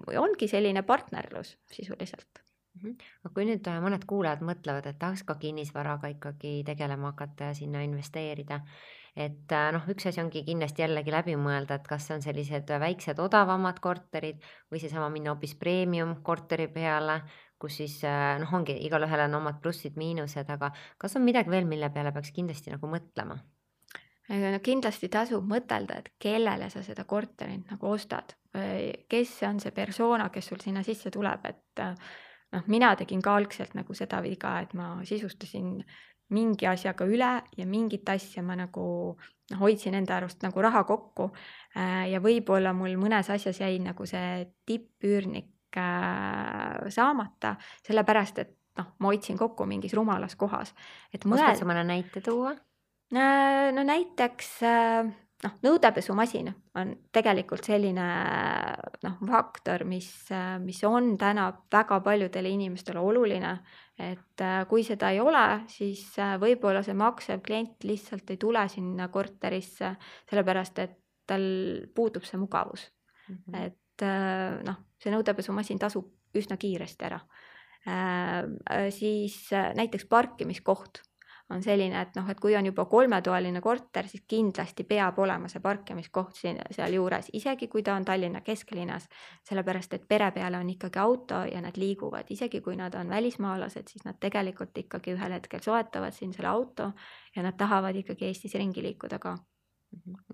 või ongi selline partnerlus sisuliselt. Aga kui nüüd mõned kuulajad mõtlevad, et tahaks ka kinnisvaraga ikkagi tegelema hakata ja sinna investeerida, et noh, üks asi ongi kindlasti jällegi läbi mõelda, et kas on sellised väiksed odavamad korterid või seesama minna hoopis premium korteri peale, kus siis noh, ongi igal ühel on omad plussid, miinused, aga kas on midagi veel, mille peale peaks kindlasti nagu mõtlema? No kindlasti tasub mõtelda, et kellele sa seda korterit nagu ostad, kes on see persona, kes sul sinna sisse tuleb, et noh, mina tegin ka algselt nagu seda viga, et ma sisustasin mingi asjaga üle ja mingit asja ma nagu noh, hoidsin enda arust nagu raha kokku ja võib-olla mul mõnes asjas jäi nagu see tippüürnik saamata, sellepärast, et noh, ma hoidsin kokku mingis rumalas kohas. Oskad sa mõne näite tuua? No näiteks noh, nõudepesumasin on tegelikult selline noh, faktor, mis, mis on täna väga paljudele inimestele oluline, et kui seda ei ole, siis võib-olla see maksev klient lihtsalt ei tule sinna korterisse, sellepärast et tal puudub see mugavus. Mm-hmm. Et noh, see nõudepesumasin tasub üsna kiiresti ära. Äh, siis näiteks parkimiskoht on selline, et noh, et kui on juba kolmetoaline korter, siis kindlasti peab olema see parkimiskoht siin, seal juures, isegi kui ta on Tallinna kesklinnas, sellepärast et pere peale on ikkagi auto ja nad liiguvad, isegi kui nad on välismaalased, siis nad tegelikult ikkagi ühel hetkel soetavad siin selle auto ja nad tahavad ikkagi Eestis ringi liikuda ka.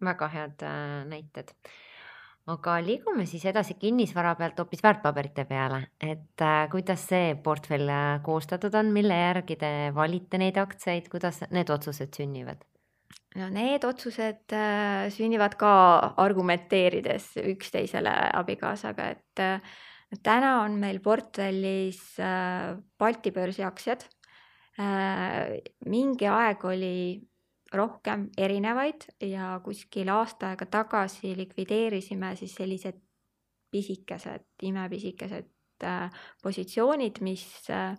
Väga head äh, näited. Aga liigume siis edasi kinnisvara pealt hoopis väärtpaberite peale, et äh, kuidas see portfell äh, koostatud on, mille järgi te valite neid aktsiaid, kuidas need otsused sünnivad? No need otsused äh, sünnivad ka argumenteerides üksteisele abikaasaga, et äh, täna on meil portfellis äh, Balti börsi aktsiad. Äh, mingi aeg oli rohkem erinevaid ja kuskil aasta aega tagasi likvideerisime siis sellised pisikesed, imepisikesed äh, positsioonid, mis, äh,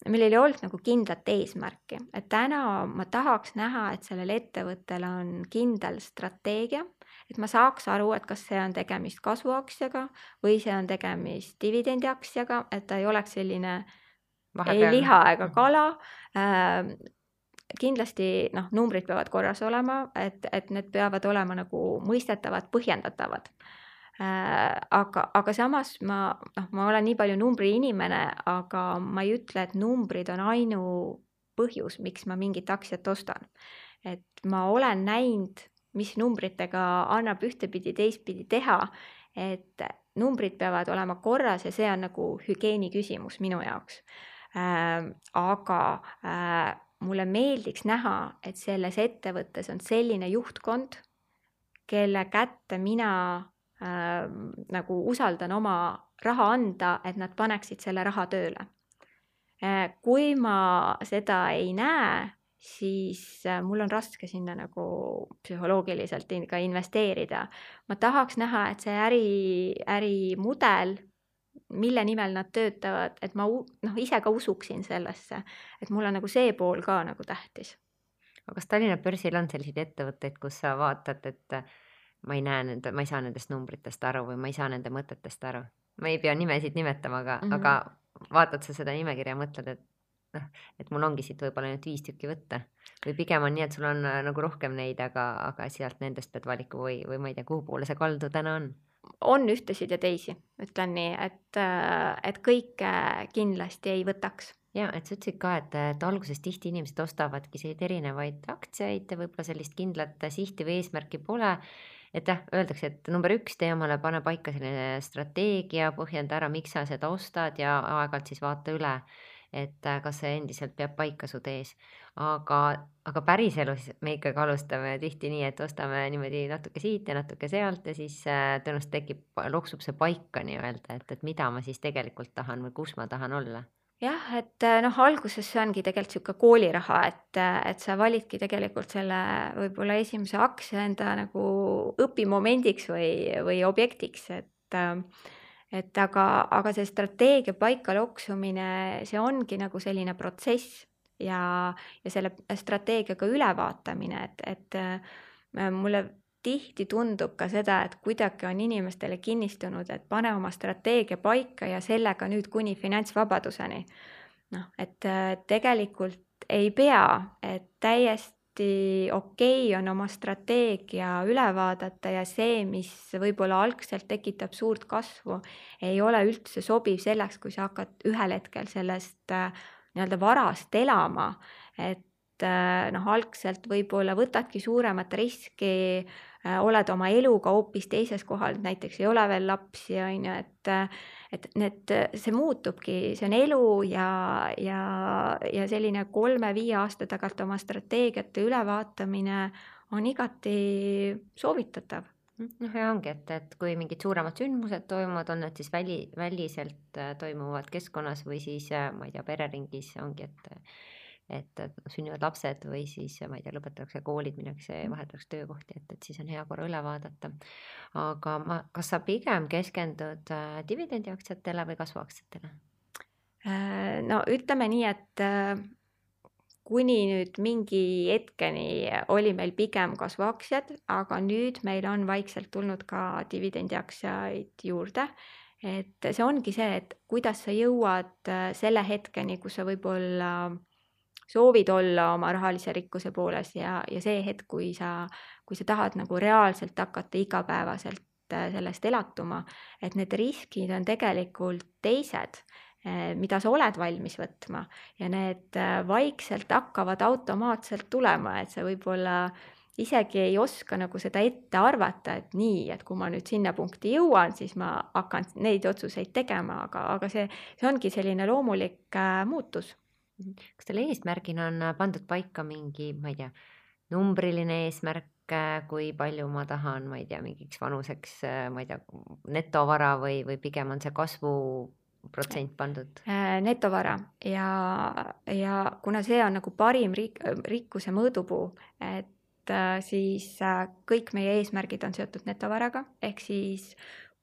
millel ei olnud nagu kindlat eesmärki. Et täna ma tahaks näha, et sellel ettevõttel on kindel strateegia, et ma saaks aru, et kas see on tegemist kasvuaktsiaga või see on tegemist dividendiaktsiaga, et ta ei oleks selline Vahepeal. ei liha ega kala. Äh, kindlasti noh, numbrid peavad korras olema, et, et need peavad olema nagu mõistetavad, põhjendatavad. Äh, aga, aga samas ma, noh, ma olen nii palju numbri inimene, aga ma ei ütle, et numbrid on ainu põhjus, miks ma mingit aktsiat ostan. Et ma olen näinud, mis numbritega annab ühtepidi teistpidi teha, et numbrid peavad olema korras ja see on nagu hügieeni küsimus minu jaoks. Äh, aga äh, mulle meeldiks näha, et selles ettevõttes on selline juhtkond, kelle kätte mina äh, nagu usaldan oma raha anda, et nad paneksid selle raha tööle. Äh, kui ma seda ei näe, siis äh, mul on raske sinna nagu psühholoogiliselt ka investeerida. Ma tahaks näha, et see äri, ärimudel, mille nimel nad töötavad, et ma noh, ise ka usuksin sellesse, et mul on nagu see pool ka nagu tähtis. Aga kas Tallinna börsil on selliseid ettevõtteid, kus sa vaatad, et ma ei näe nende, ma ei saa nendest numbritest aru või ma ei saa nende mõtetest aru? Ma ei pea nimesid nimetama, aga, mm-hmm. aga vaatad sa seda nimekirja ja mõtled, et, noh, et mul ongi siit võib-olla nüüd viis tükki võtta. Või pigem on nii, et sul on nagu rohkem neid, aga, aga sealt nendest pead valiku või, või ma ei tea, kuhu poole see kaldu täna on? On ühtesid ja teisi, ütlen nii, et, et kõike kindlasti ei võtaks. Ja, et sa ütlesid ka, et, et alguses tihti inimesed ostavadki selliseid erinevaid aktsiaid ja võib-olla sellist kindlat sihti või eesmärki pole. Et jah, öeldakse, et number üks tee omale pane paika selline strateegia, põhjenda ära, miks sa seda ostad ja aeg-ajalt siis vaata üle, et kas see endiselt peab paika su tees. Aga, aga päriselus me ikkagi alustame tihti nii, et ostame niimoodi natuke siit ja natuke sealt ja siis tõenäoliselt tekib, loksub see paika nii-öelda, et, et mida ma siis tegelikult tahan või kus ma tahan olla. Jah, et noh, alguses see ongi tegelikult siuke kooliraha, et, et sa validki tegelikult selle võib-olla esimese aktsia enda nagu õpimomendiks või, või objektiks, et et aga, aga see strateegia paika loksumine, see ongi nagu selline protsess ja, ja selle strateegiaga ülevaatamine, et, et mulle tihti tundub ka seda, et kuidagi on inimestele kinnistunud, et pane oma strateegia paika ja sellega nüüd kuni finantsvabaduseni. Noh, et tegelikult ei pea, et täiesti okei on oma strateegia üle vaadata ja see, mis võib-olla algselt tekitab suurt kasvu, ei ole üldse sobiv selleks, kui sa hakkad ühel hetkel sellest nii-öelda varast elama, et noh, algselt võib-olla võtadki suuremat riski, oled oma eluga hoopis teises kohal, näiteks ei ole veel lapsi, on ju, et, et need, see muutubki, see on elu ja, ja, ja selline kolme-viie aasta tagant oma strateegiate ülevaatamine on igati soovitatav. Noh, ja ongi, et, et kui mingid suuremad sündmused toimuvad, on need siis väli, väliselt toimuvad keskkonnas või siis, ma ei tea, pereringis ongi, et et sünnivad lapsed või siis, ma ei tea, lõpetatakse koolid, minnakse vahetatakse töökohti, et, et siis on hea korra üle vaadata. Aga ma, kas sa pigem keskendud dividendiaktsiatele või kasvuaktsiatele? No ütleme nii, et kuni nüüd mingi hetkeni oli meil pigem kasvuaktsiad, aga nüüd meil on vaikselt tulnud ka dividendiaktsiaid juurde. Et see ongi see, et kuidas sa jõuad selle hetkeni, kus sa võib-olla soovid olla oma rahalise rikkuse pooles ja, ja see hetk, kui sa, kui sa tahad nagu reaalselt hakata igapäevaselt sellest elatuma, et need riskid on tegelikult teised, mida sa oled valmis võtma ja need vaikselt hakkavad automaatselt tulema, et sa võib-olla isegi ei oska nagu seda ette arvata, et nii, et kui ma nüüd sinna punkti jõuan, siis ma hakkan neid otsuseid tegema, aga, aga see, see ongi selline loomulik äh, muutus. Kas teil eesmärgina on pandud paika mingi, ma ei tea, numbriline eesmärk, kui palju ma tahan, ma ei tea, mingiks vanuseks, ma ei tea, netovara või, või pigem on see kasvu protsent pandud? Netovara ja, ja kuna see on nagu parim rik, rikkuse mõõdupuu, et siis kõik meie eesmärgid on seotud netovaraga, ehk siis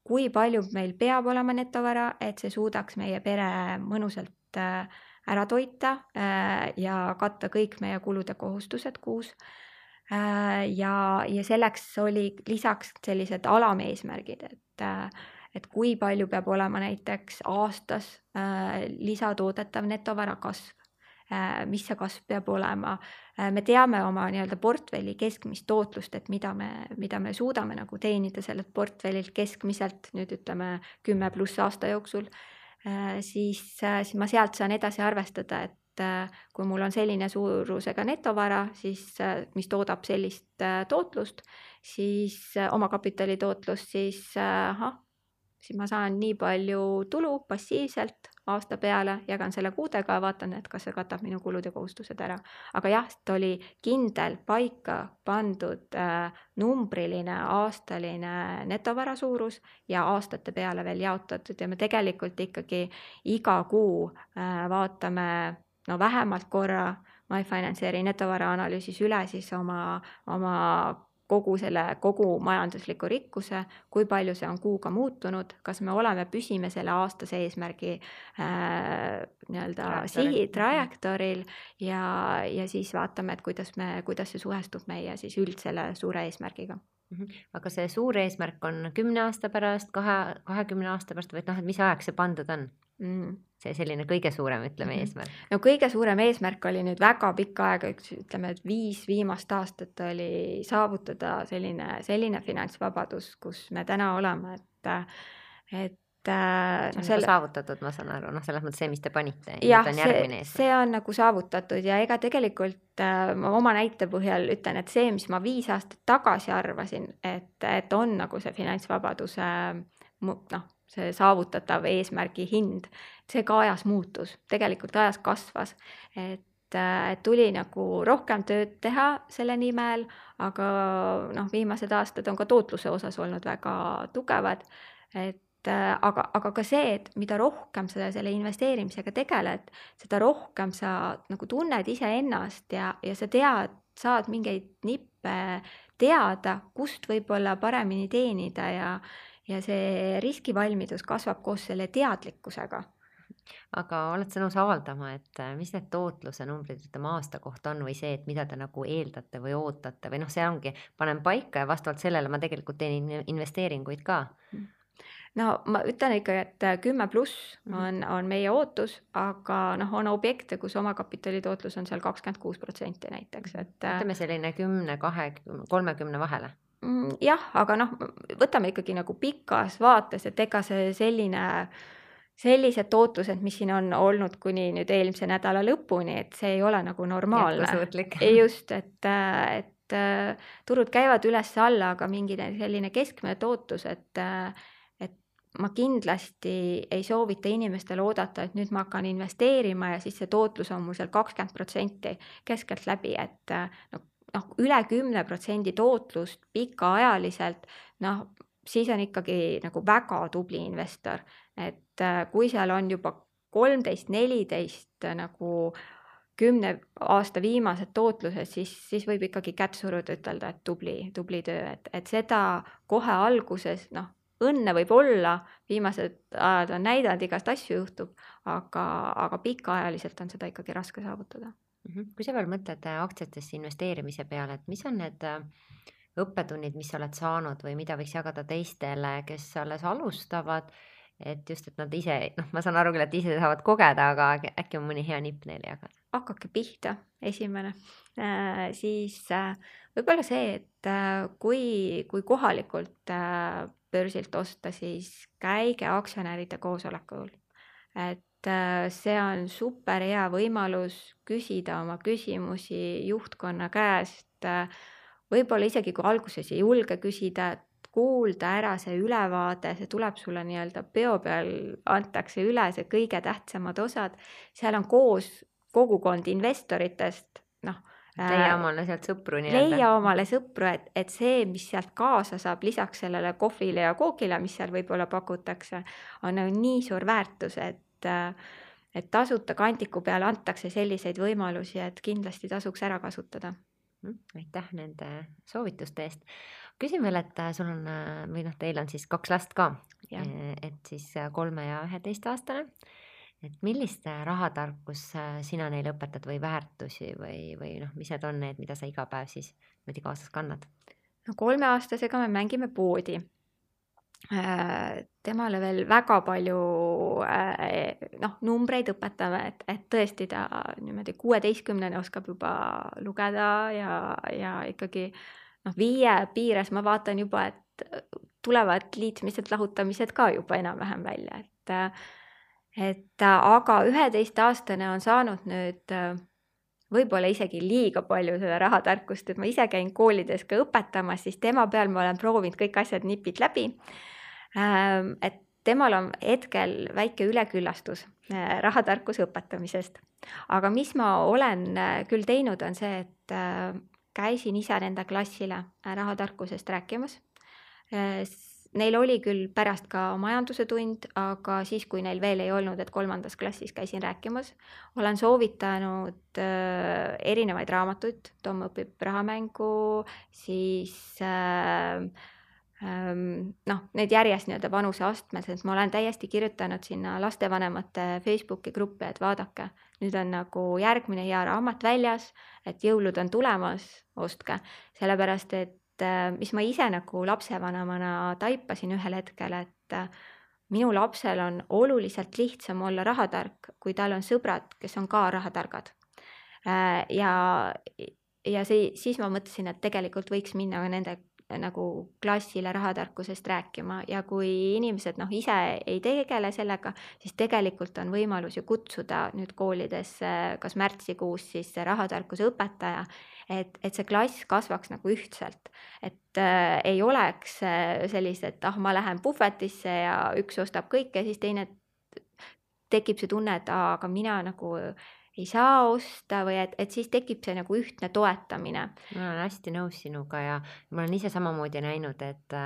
kui palju meil peab olema netovara, et see suudaks meie pere mõnusalt ära toita ja katta kõik meie kulud ja kohustused kuus. Ja, ja selleks oli lisaks sellised alameesmärgid, et, et kui palju peab olema näiteks aastas lisatoodetav netovara kasv, mis see kasv peab olema. Me teame oma nii-öelda portfelli keskmist tootlust, et mida me, mida me suudame nagu teenida sellelt portfellilt keskmiselt, nüüd ütleme kümme pluss aasta jooksul, siis, siis ma sealt saan edasi arvestada, et kui mul on selline suurusega netovara, siis, mis toodab sellist tootlust, siis oma kapitali tootlust, siis, aha, siis ma saan nii palju tulu passiivselt aasta peale, jagan selle kuudega ja vaatan, et kas see katab minu kulud ja kohustused ära. Aga jah, see oli kindel paika pandud äh, numbriline aastaline netovara suurus ja aastate peale veel jaotatud ja me tegelikult ikkagi iga kuu äh, vaatame no vähemalt korra MyFinance'i netovara analüüsis üle siis oma, oma kogu selle kogu majandusliku rikkuse, kui palju see on kuuga muutunud, kas me oleme, püsime selle aastase eesmärgi äh, nii-öelda sihi trajektooril ja, ja siis vaatame, et kuidas, me, kuidas see suhestub meie siis üld selle suure eesmärgiga. Aga see suur eesmärk on kümne aasta pärast, kahe, kahekümne aasta pärast või noh, et mis ajaks see pandud on? Mm. See selline kõige suurem, ütleme, mm-hmm. eesmärk. No kõige suurem eesmärk oli nüüd väga pikka aega, ütleme, et viis viimast aastat oli saavutada selline, selline finantsvabadus, kus me täna oleme, et, et see on selle... saavutatud, ma saan aru, noh, selles mõttes see, mis te panite. Jah, see, see on nagu saavutatud ja ega tegelikult äh, oma näite põhjal ütlen, et see, mis ma viis aastat tagasi arvasin, et, et on nagu see finantsvabaduse noh, see saavutatav eesmärgi hind, see ka ajas muutus, tegelikult ajas kasvas, et, et tuli nagu rohkem tööd teha selle nimel, aga noh, viimased aastad on ka tootluse osas olnud väga tugevad, et aga, aga ka see, et mida rohkem sa selle investeerimisega tegeled, seda rohkem sa nagu tunned iseennast ja, ja sa tead, saad mingeid nippe teada, kust võib-olla paremini teenida ja ja see riskivalmidus kasvab koos selle teadlikkusega. Aga oled sa nõus avaldama, et mis need tootluse numbrid ütleme aasta kohta on või see, et mida te nagu eeldate või ootate või noh, see ongi, panen paika ja vastavalt sellele ma tegelikult teen investeeringuid ka. No ma ütlen ikka, et kümme pluss on, on meie ootus, aga noh, on objekte, kus oma kapitali tootlus on seal kakskümmend kuus protsenti näiteks. Et, ütleme selline kümne, kahekümne, kolmekümne vahele. Jah, aga noh, võtame ikkagi nagu pikas vaates, et ega see selline, sellised tootlused, mis siin on olnud kuni nüüd eelmise nädala lõpuni, et see ei ole nagu normaalne. Just, et, et turud käivad üles-alla, aga mingi selline keskmine tootlus, et, et ma kindlasti ei soovita inimestele oodata, et nüüd ma hakkan investeerima ja siis see tootlus on mul seal kakskümmend protsenti keskelt läbi, et no, noh, üle kümne protsendi tootlust pikaajaliselt, noh, siis on ikkagi nagu väga tubli investor, et kui seal on juba kolmteist, neliteist nagu kümne aasta viimased tootlused, siis, siis võib ikkagi kätt suruda ütelda, et tubli, tubli töö, et, et seda kohe alguses, noh, õnne võib olla, viimased ajad on näidanud, igast asju juhtub, aga, aga pikaajaliselt on seda ikkagi raske saavutada. Kui sa veel mõtled aktsiatesse investeerimise peale, et mis on need õppetunnid, mis sa oled saanud või mida võiks jagada teistele, kes alles alustavad et just, et nad ise, noh, ma saan aru küll, et ise saavad kogeda, aga äkki on mõni hea nipp neile jagada. Hakake pihta, esimene. Äh, siis äh, võib-olla see, et äh, kui, kui kohalikult äh, börsilt osta, siis käige aktsionäride koosolekul. Et äh, see on super hea võimalus küsida oma küsimusi juhtkonna käest. Äh, võib-olla isegi kui alguses ei julge küsida, kuulda ära see ülevaade, see tuleb sulle nii-öelda peo peal, antakse üle see kõige tähtsamad osad. Seal on koos kogukond investoritest, noh, leia omale sealt sõpru nii-öelda. leia omale sõpru, et, et see, mis sealt kaasa saab lisaks sellele kohvile ja kookile, mis seal võib-olla pakutakse, on nii suur väärtus, et, et tasuta kandiku peale antakse selliseid võimalusi, et kindlasti tasuks ära kasutada. Aitäh nende soovituste eest. Küsin veel, et sul on, või noh, teil on siis kaks last ka, Ja. et siis kolme ja üheteist aastane. Et millist rahatarkus sina neile õpetad või väärtusi või, või noh, mis need on need, mida sa iga päev siis mõdi kaasas kannad? No kolmeaastasega me mängime poodi. Temale veel väga palju noh, numbreid õpetame, et, et tõesti ta niimoodi kuueteistkümnene oskab juba lugeda ja, ja ikkagi noh, viie piires ma vaatan juba, et tulevad liitmised, lahutamised ka juba enam-vähem välja, et, et aga üheteistaastane on saanud nüüd võib-olla isegi liiga palju seda rahatarkust, et ma ise käin koolides ka õpetamas, siis tema peal ma olen proovinud kõik asjad nipid läbi. Et temal on hetkel väike üleküllastus rahatarkuse õpetamisest. Aga mis ma olen küll teinud, on see, et käisin ise nende klassile rahatarkusest rääkimas. Neil oli küll pärast ka majanduse tund, aga siis, kui neil veel ei olnud, et kolmandas klassis käisin rääkimas, olen soovitanud erinevaid raamatuid. Tom õpib rahamängu, siis noh, need järjest nii-öelda vanuse astmes, et ma olen täiesti kirjutanud sinna lastevanemate Facebooki gruppi, et vaadake, nüüd on nagu järgmine hea raamat väljas, et jõulud on tulemas, ostke, sellepärast, et mis ma ise nagu lapsevanemana taipasin ühel hetkel, et minu lapsel on oluliselt lihtsam olla rahatark, kui tal on sõbrad, kes on ka rahatargad. Ja, ja see, siis ma mõtlesin, et tegelikult võiks minna nende nagu klassile rahatarkusest rääkima ja kui inimesed noh, ise ei tegele sellega, siis tegelikult on võimalus ju kutsuda nüüd koolidesse kas märtsikuus siis see rahatarkuse õpetaja, et, et see klass kasvaks nagu ühtselt, et äh, ei oleks sellised, et ah, ma lähen puhvetisse ja üks ostab kõike ja siis teine tekib see tunne, et ah, aga mina nagu ei saa osta või et, et siis tekib see nagu ühtne toetamine. Ma olen hästi nõus sinuga ja ma olen ise samamoodi näinud, et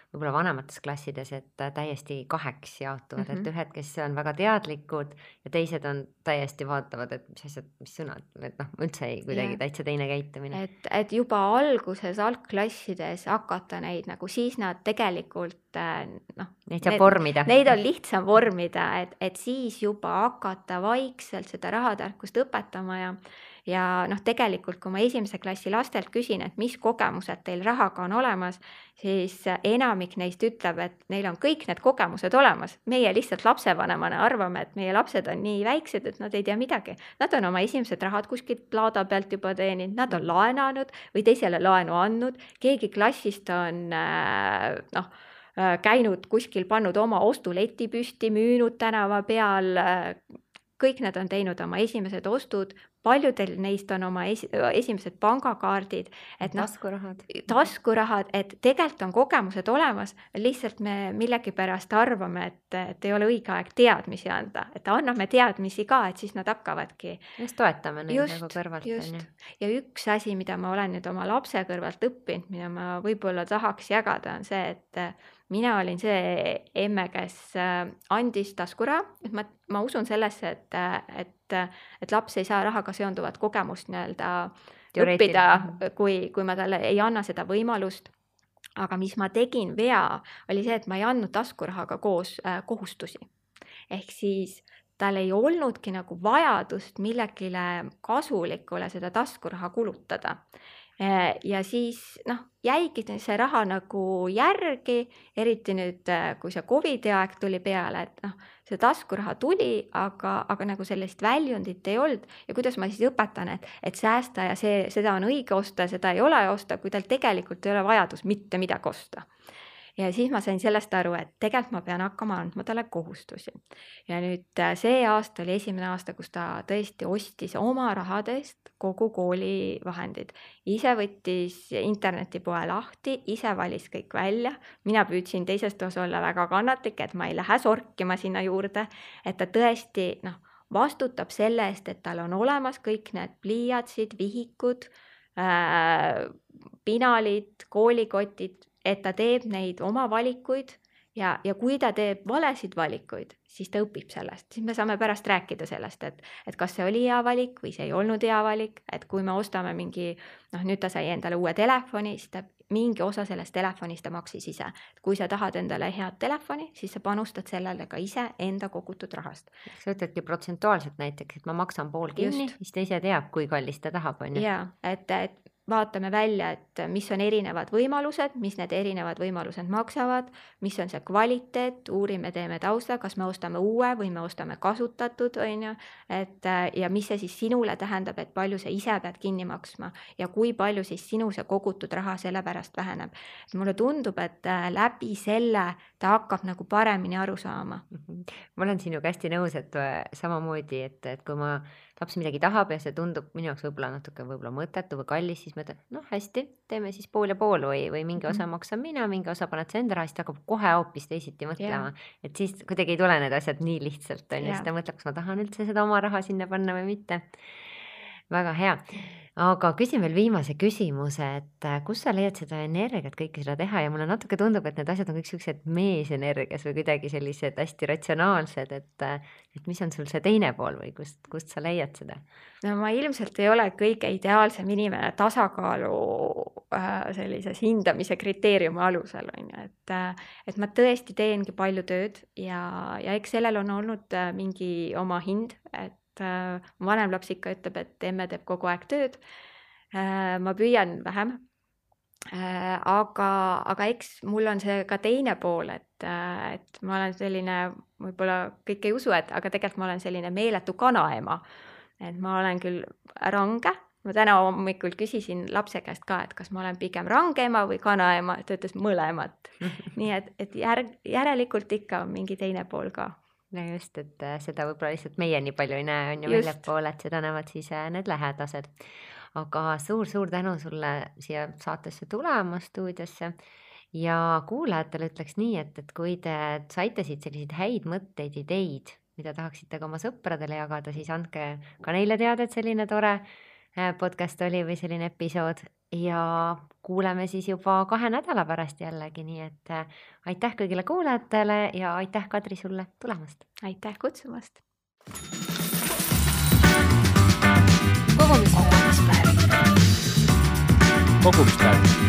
võib-olla vanemates klassides, et täiesti kaheks jaotuvad, mm-hmm. et ühed, kes on väga teadlikud ja teised on täiesti vaatavad, et mis asjad, mis sõnad, et noh, üldse ei kuidagi yeah. täitsa teine käitumine. Et, et juba alguses algklassides hakata neid nagu siis nad tegelikult noh, neid saab vormida. Neid on lihtsam vormida, et, et siis juba hakata vaikselt seda rahatarkust õpetama ja, ja noh, tegelikult kui ma esimese klassi lastelt küsin, et mis kogemused teil rahaga on olemas, siis enamik neist ütleb, et neil on kõik need kogemused olemas. Meie lihtsalt lapsevanemana arvame, et meie lapsed on nii väiksed, et nad ei tea midagi. Nad on oma esimesed rahad kuskilt laada pealt juba teeninud, nad on laenanud või teisele laenu andnud, keegi klassist on noh, käinud kuskil, pannud oma ostuleti püsti, müünud tänava peal, kõik need on teinud oma esimesed ostud, paljudel neist on oma esi, esimesed pangakaardid, et noh, taskurahad. taskurahad, et tegelikult on kogemused olemas, lihtsalt me millegipärast arvame, et, et ei ole õige aeg teadmisi anda, et anname teadmisi ka, et siis nad hakkavadki. Just toetame neid just, nagu kõrvalt. Just. Ja üks asi, mida ma olen nüüd oma lapse kõrvalt õppinud, mida ma võib-olla tahaks jagada, on see, et mina olin see emme, kes andis taskuraha, et ma, ma usun sellesse, et, et, et laps ei saa rahaga seonduvat kogemust nii-öelda õppida, kui, kui ma talle ei anna seda võimalust. Aga mis ma tegin vea, oli see, et ma ei andnud taskurahaga koos äh, kohustusi. Ehk siis tal ei olnudki nagu vajadust millegile kasulikule seda taskuraha kulutada. ja siis noh, jäigi see raha nagu järgi, eriti nüüd, kui see Covidi aeg tuli peale, et noh, see taskuraha tuli, aga, aga nagu sellist väljundit ei olnud ja kuidas ma siis õpetan, et, et säästa ja see, seda on õige osta, seda ei ole osta, kui tal tegelikult ei ole vajadus mitte midagi osta. Ja siis ma sain sellest aru, et tegelikult ma pean hakkama andma talle kohustusi. Ja nüüd see aasta oli esimene aasta, kus ta tõesti ostis oma rahadest kogu kooli vahendid. Ise võttis internetipoe lahti, ise valis kõik välja. Mina püüdsin teisest osa olla väga kannatlik, et ma ei lähe sorkima sinna juurde, et ta tõesti noh, vastutab selle eest, et tal on olemas kõik need pliiatsid, vihikud, äh, pinalid, koolikotid, et ta teeb neid oma valikuid ja, ja kui ta teeb valesid valikuid, siis ta õpib sellest. Siis me saame pärast rääkida sellest, et, et kas see oli hea valik või see ei olnud hea valik, et kui me ostame mingi, noh nüüd ta sai endale uue telefoni, siis ta mingi osa sellest telefonist ta maksis ise. Kui sa tahad endale head telefoni, siis sa panustad sellele ka ise enda kogutud rahast. Sa ütledki protsentuaalselt näiteks, et ma maksan pool kinni, Just. siis ta ise teab, kui kallis ta tahab. On ju? Ja, et, et vaatame välja, et mis on erinevad võimalused, mis need erinevad võimalused maksavad, mis on see kvaliteet, uurime, teeme tausta, kas me ostame uue või me ostame kasutatud, on ju, et ja mis see siis sinule tähendab, et palju sa ise pead kinni maksma ja kui palju siis sinu see kogutud raha selle pärast väheneb. Et mulle tundub, et läbi selle ta hakkab nagu paremini aru saama. Ma olen sinuga hästi nõus, et samamoodi, et, et kui ma laps midagi tahab ja see tundub minu jaoks võib-olla natuke võib-olla mõttetu või kallis, siis mõtled, noh hästi, teeme siis pool ja pool või, või mingi osa maksan mina, mingi osa paned sa enda raha, siis ta hakkab kohe hoopis teisiti mõtlema. Yeah. Et siis kuidagi ei tule need asjad nii lihtsalt, on ja siis ta mõtleb, kas ma tahan üldse seda oma raha sinna panna või mitte. Väga hea. Aga küsin veel viimase küsimuse, et kus sa leiad seda energiat kõike seda teha ja mulle natuke tundub, et need asjad on kõik sellised meesenergias või kuidagi sellised hästi ratsionaalsed, et, et mis on sul see teine pool või kust, kust sa leiad seda? No ma ilmselt ei ole kõige ideaalsem inimene tasakaalu äh, sellises hindamise kriteeriumi alusel, on ju, et, et ma tõesti teengi palju tööd ja, ja eks sellel on olnud mingi oma hind, et vanem laps ikka ütleb, et emme teeb kogu aeg tööd. Ma püüan vähem, aga, aga eks mul on see ka teine pool, et, et ma olen selline, võib-olla kõik ei usu, et, aga tegelikult ma olen selline meeletu kanaema. Et ma olen küll range, ma täna hommikul küsisin lapse käest ka, et kas ma olen pigem rangeema või kanaema, ta ütles mõlemat. Nii et, et järg, järelikult ikka on mingi teine pool ka. No just, et seda võib-olla lihtsalt meie nii palju ei näe, on ju väljapoole, et seda näevad siis need lähedased. Aga suur-suur tänu sulle siia saatesse tulema stuudiosse ja kuulajatele ütleks nii, et, et kui te saite siit selliseid häid mõtteid, ideid, mida tahaksite ka oma sõpradele jagada, siis andke ka neile teada, et selline tore podcast oli või selline episood ja kuuleme siis juba kahe nädala pärast jällegi, nii et aitäh kõigile kuulajatele ja aitäh Kadri sulle tulemast. Aitäh kutsumast. Kogumispäevik. Kogumispäevik.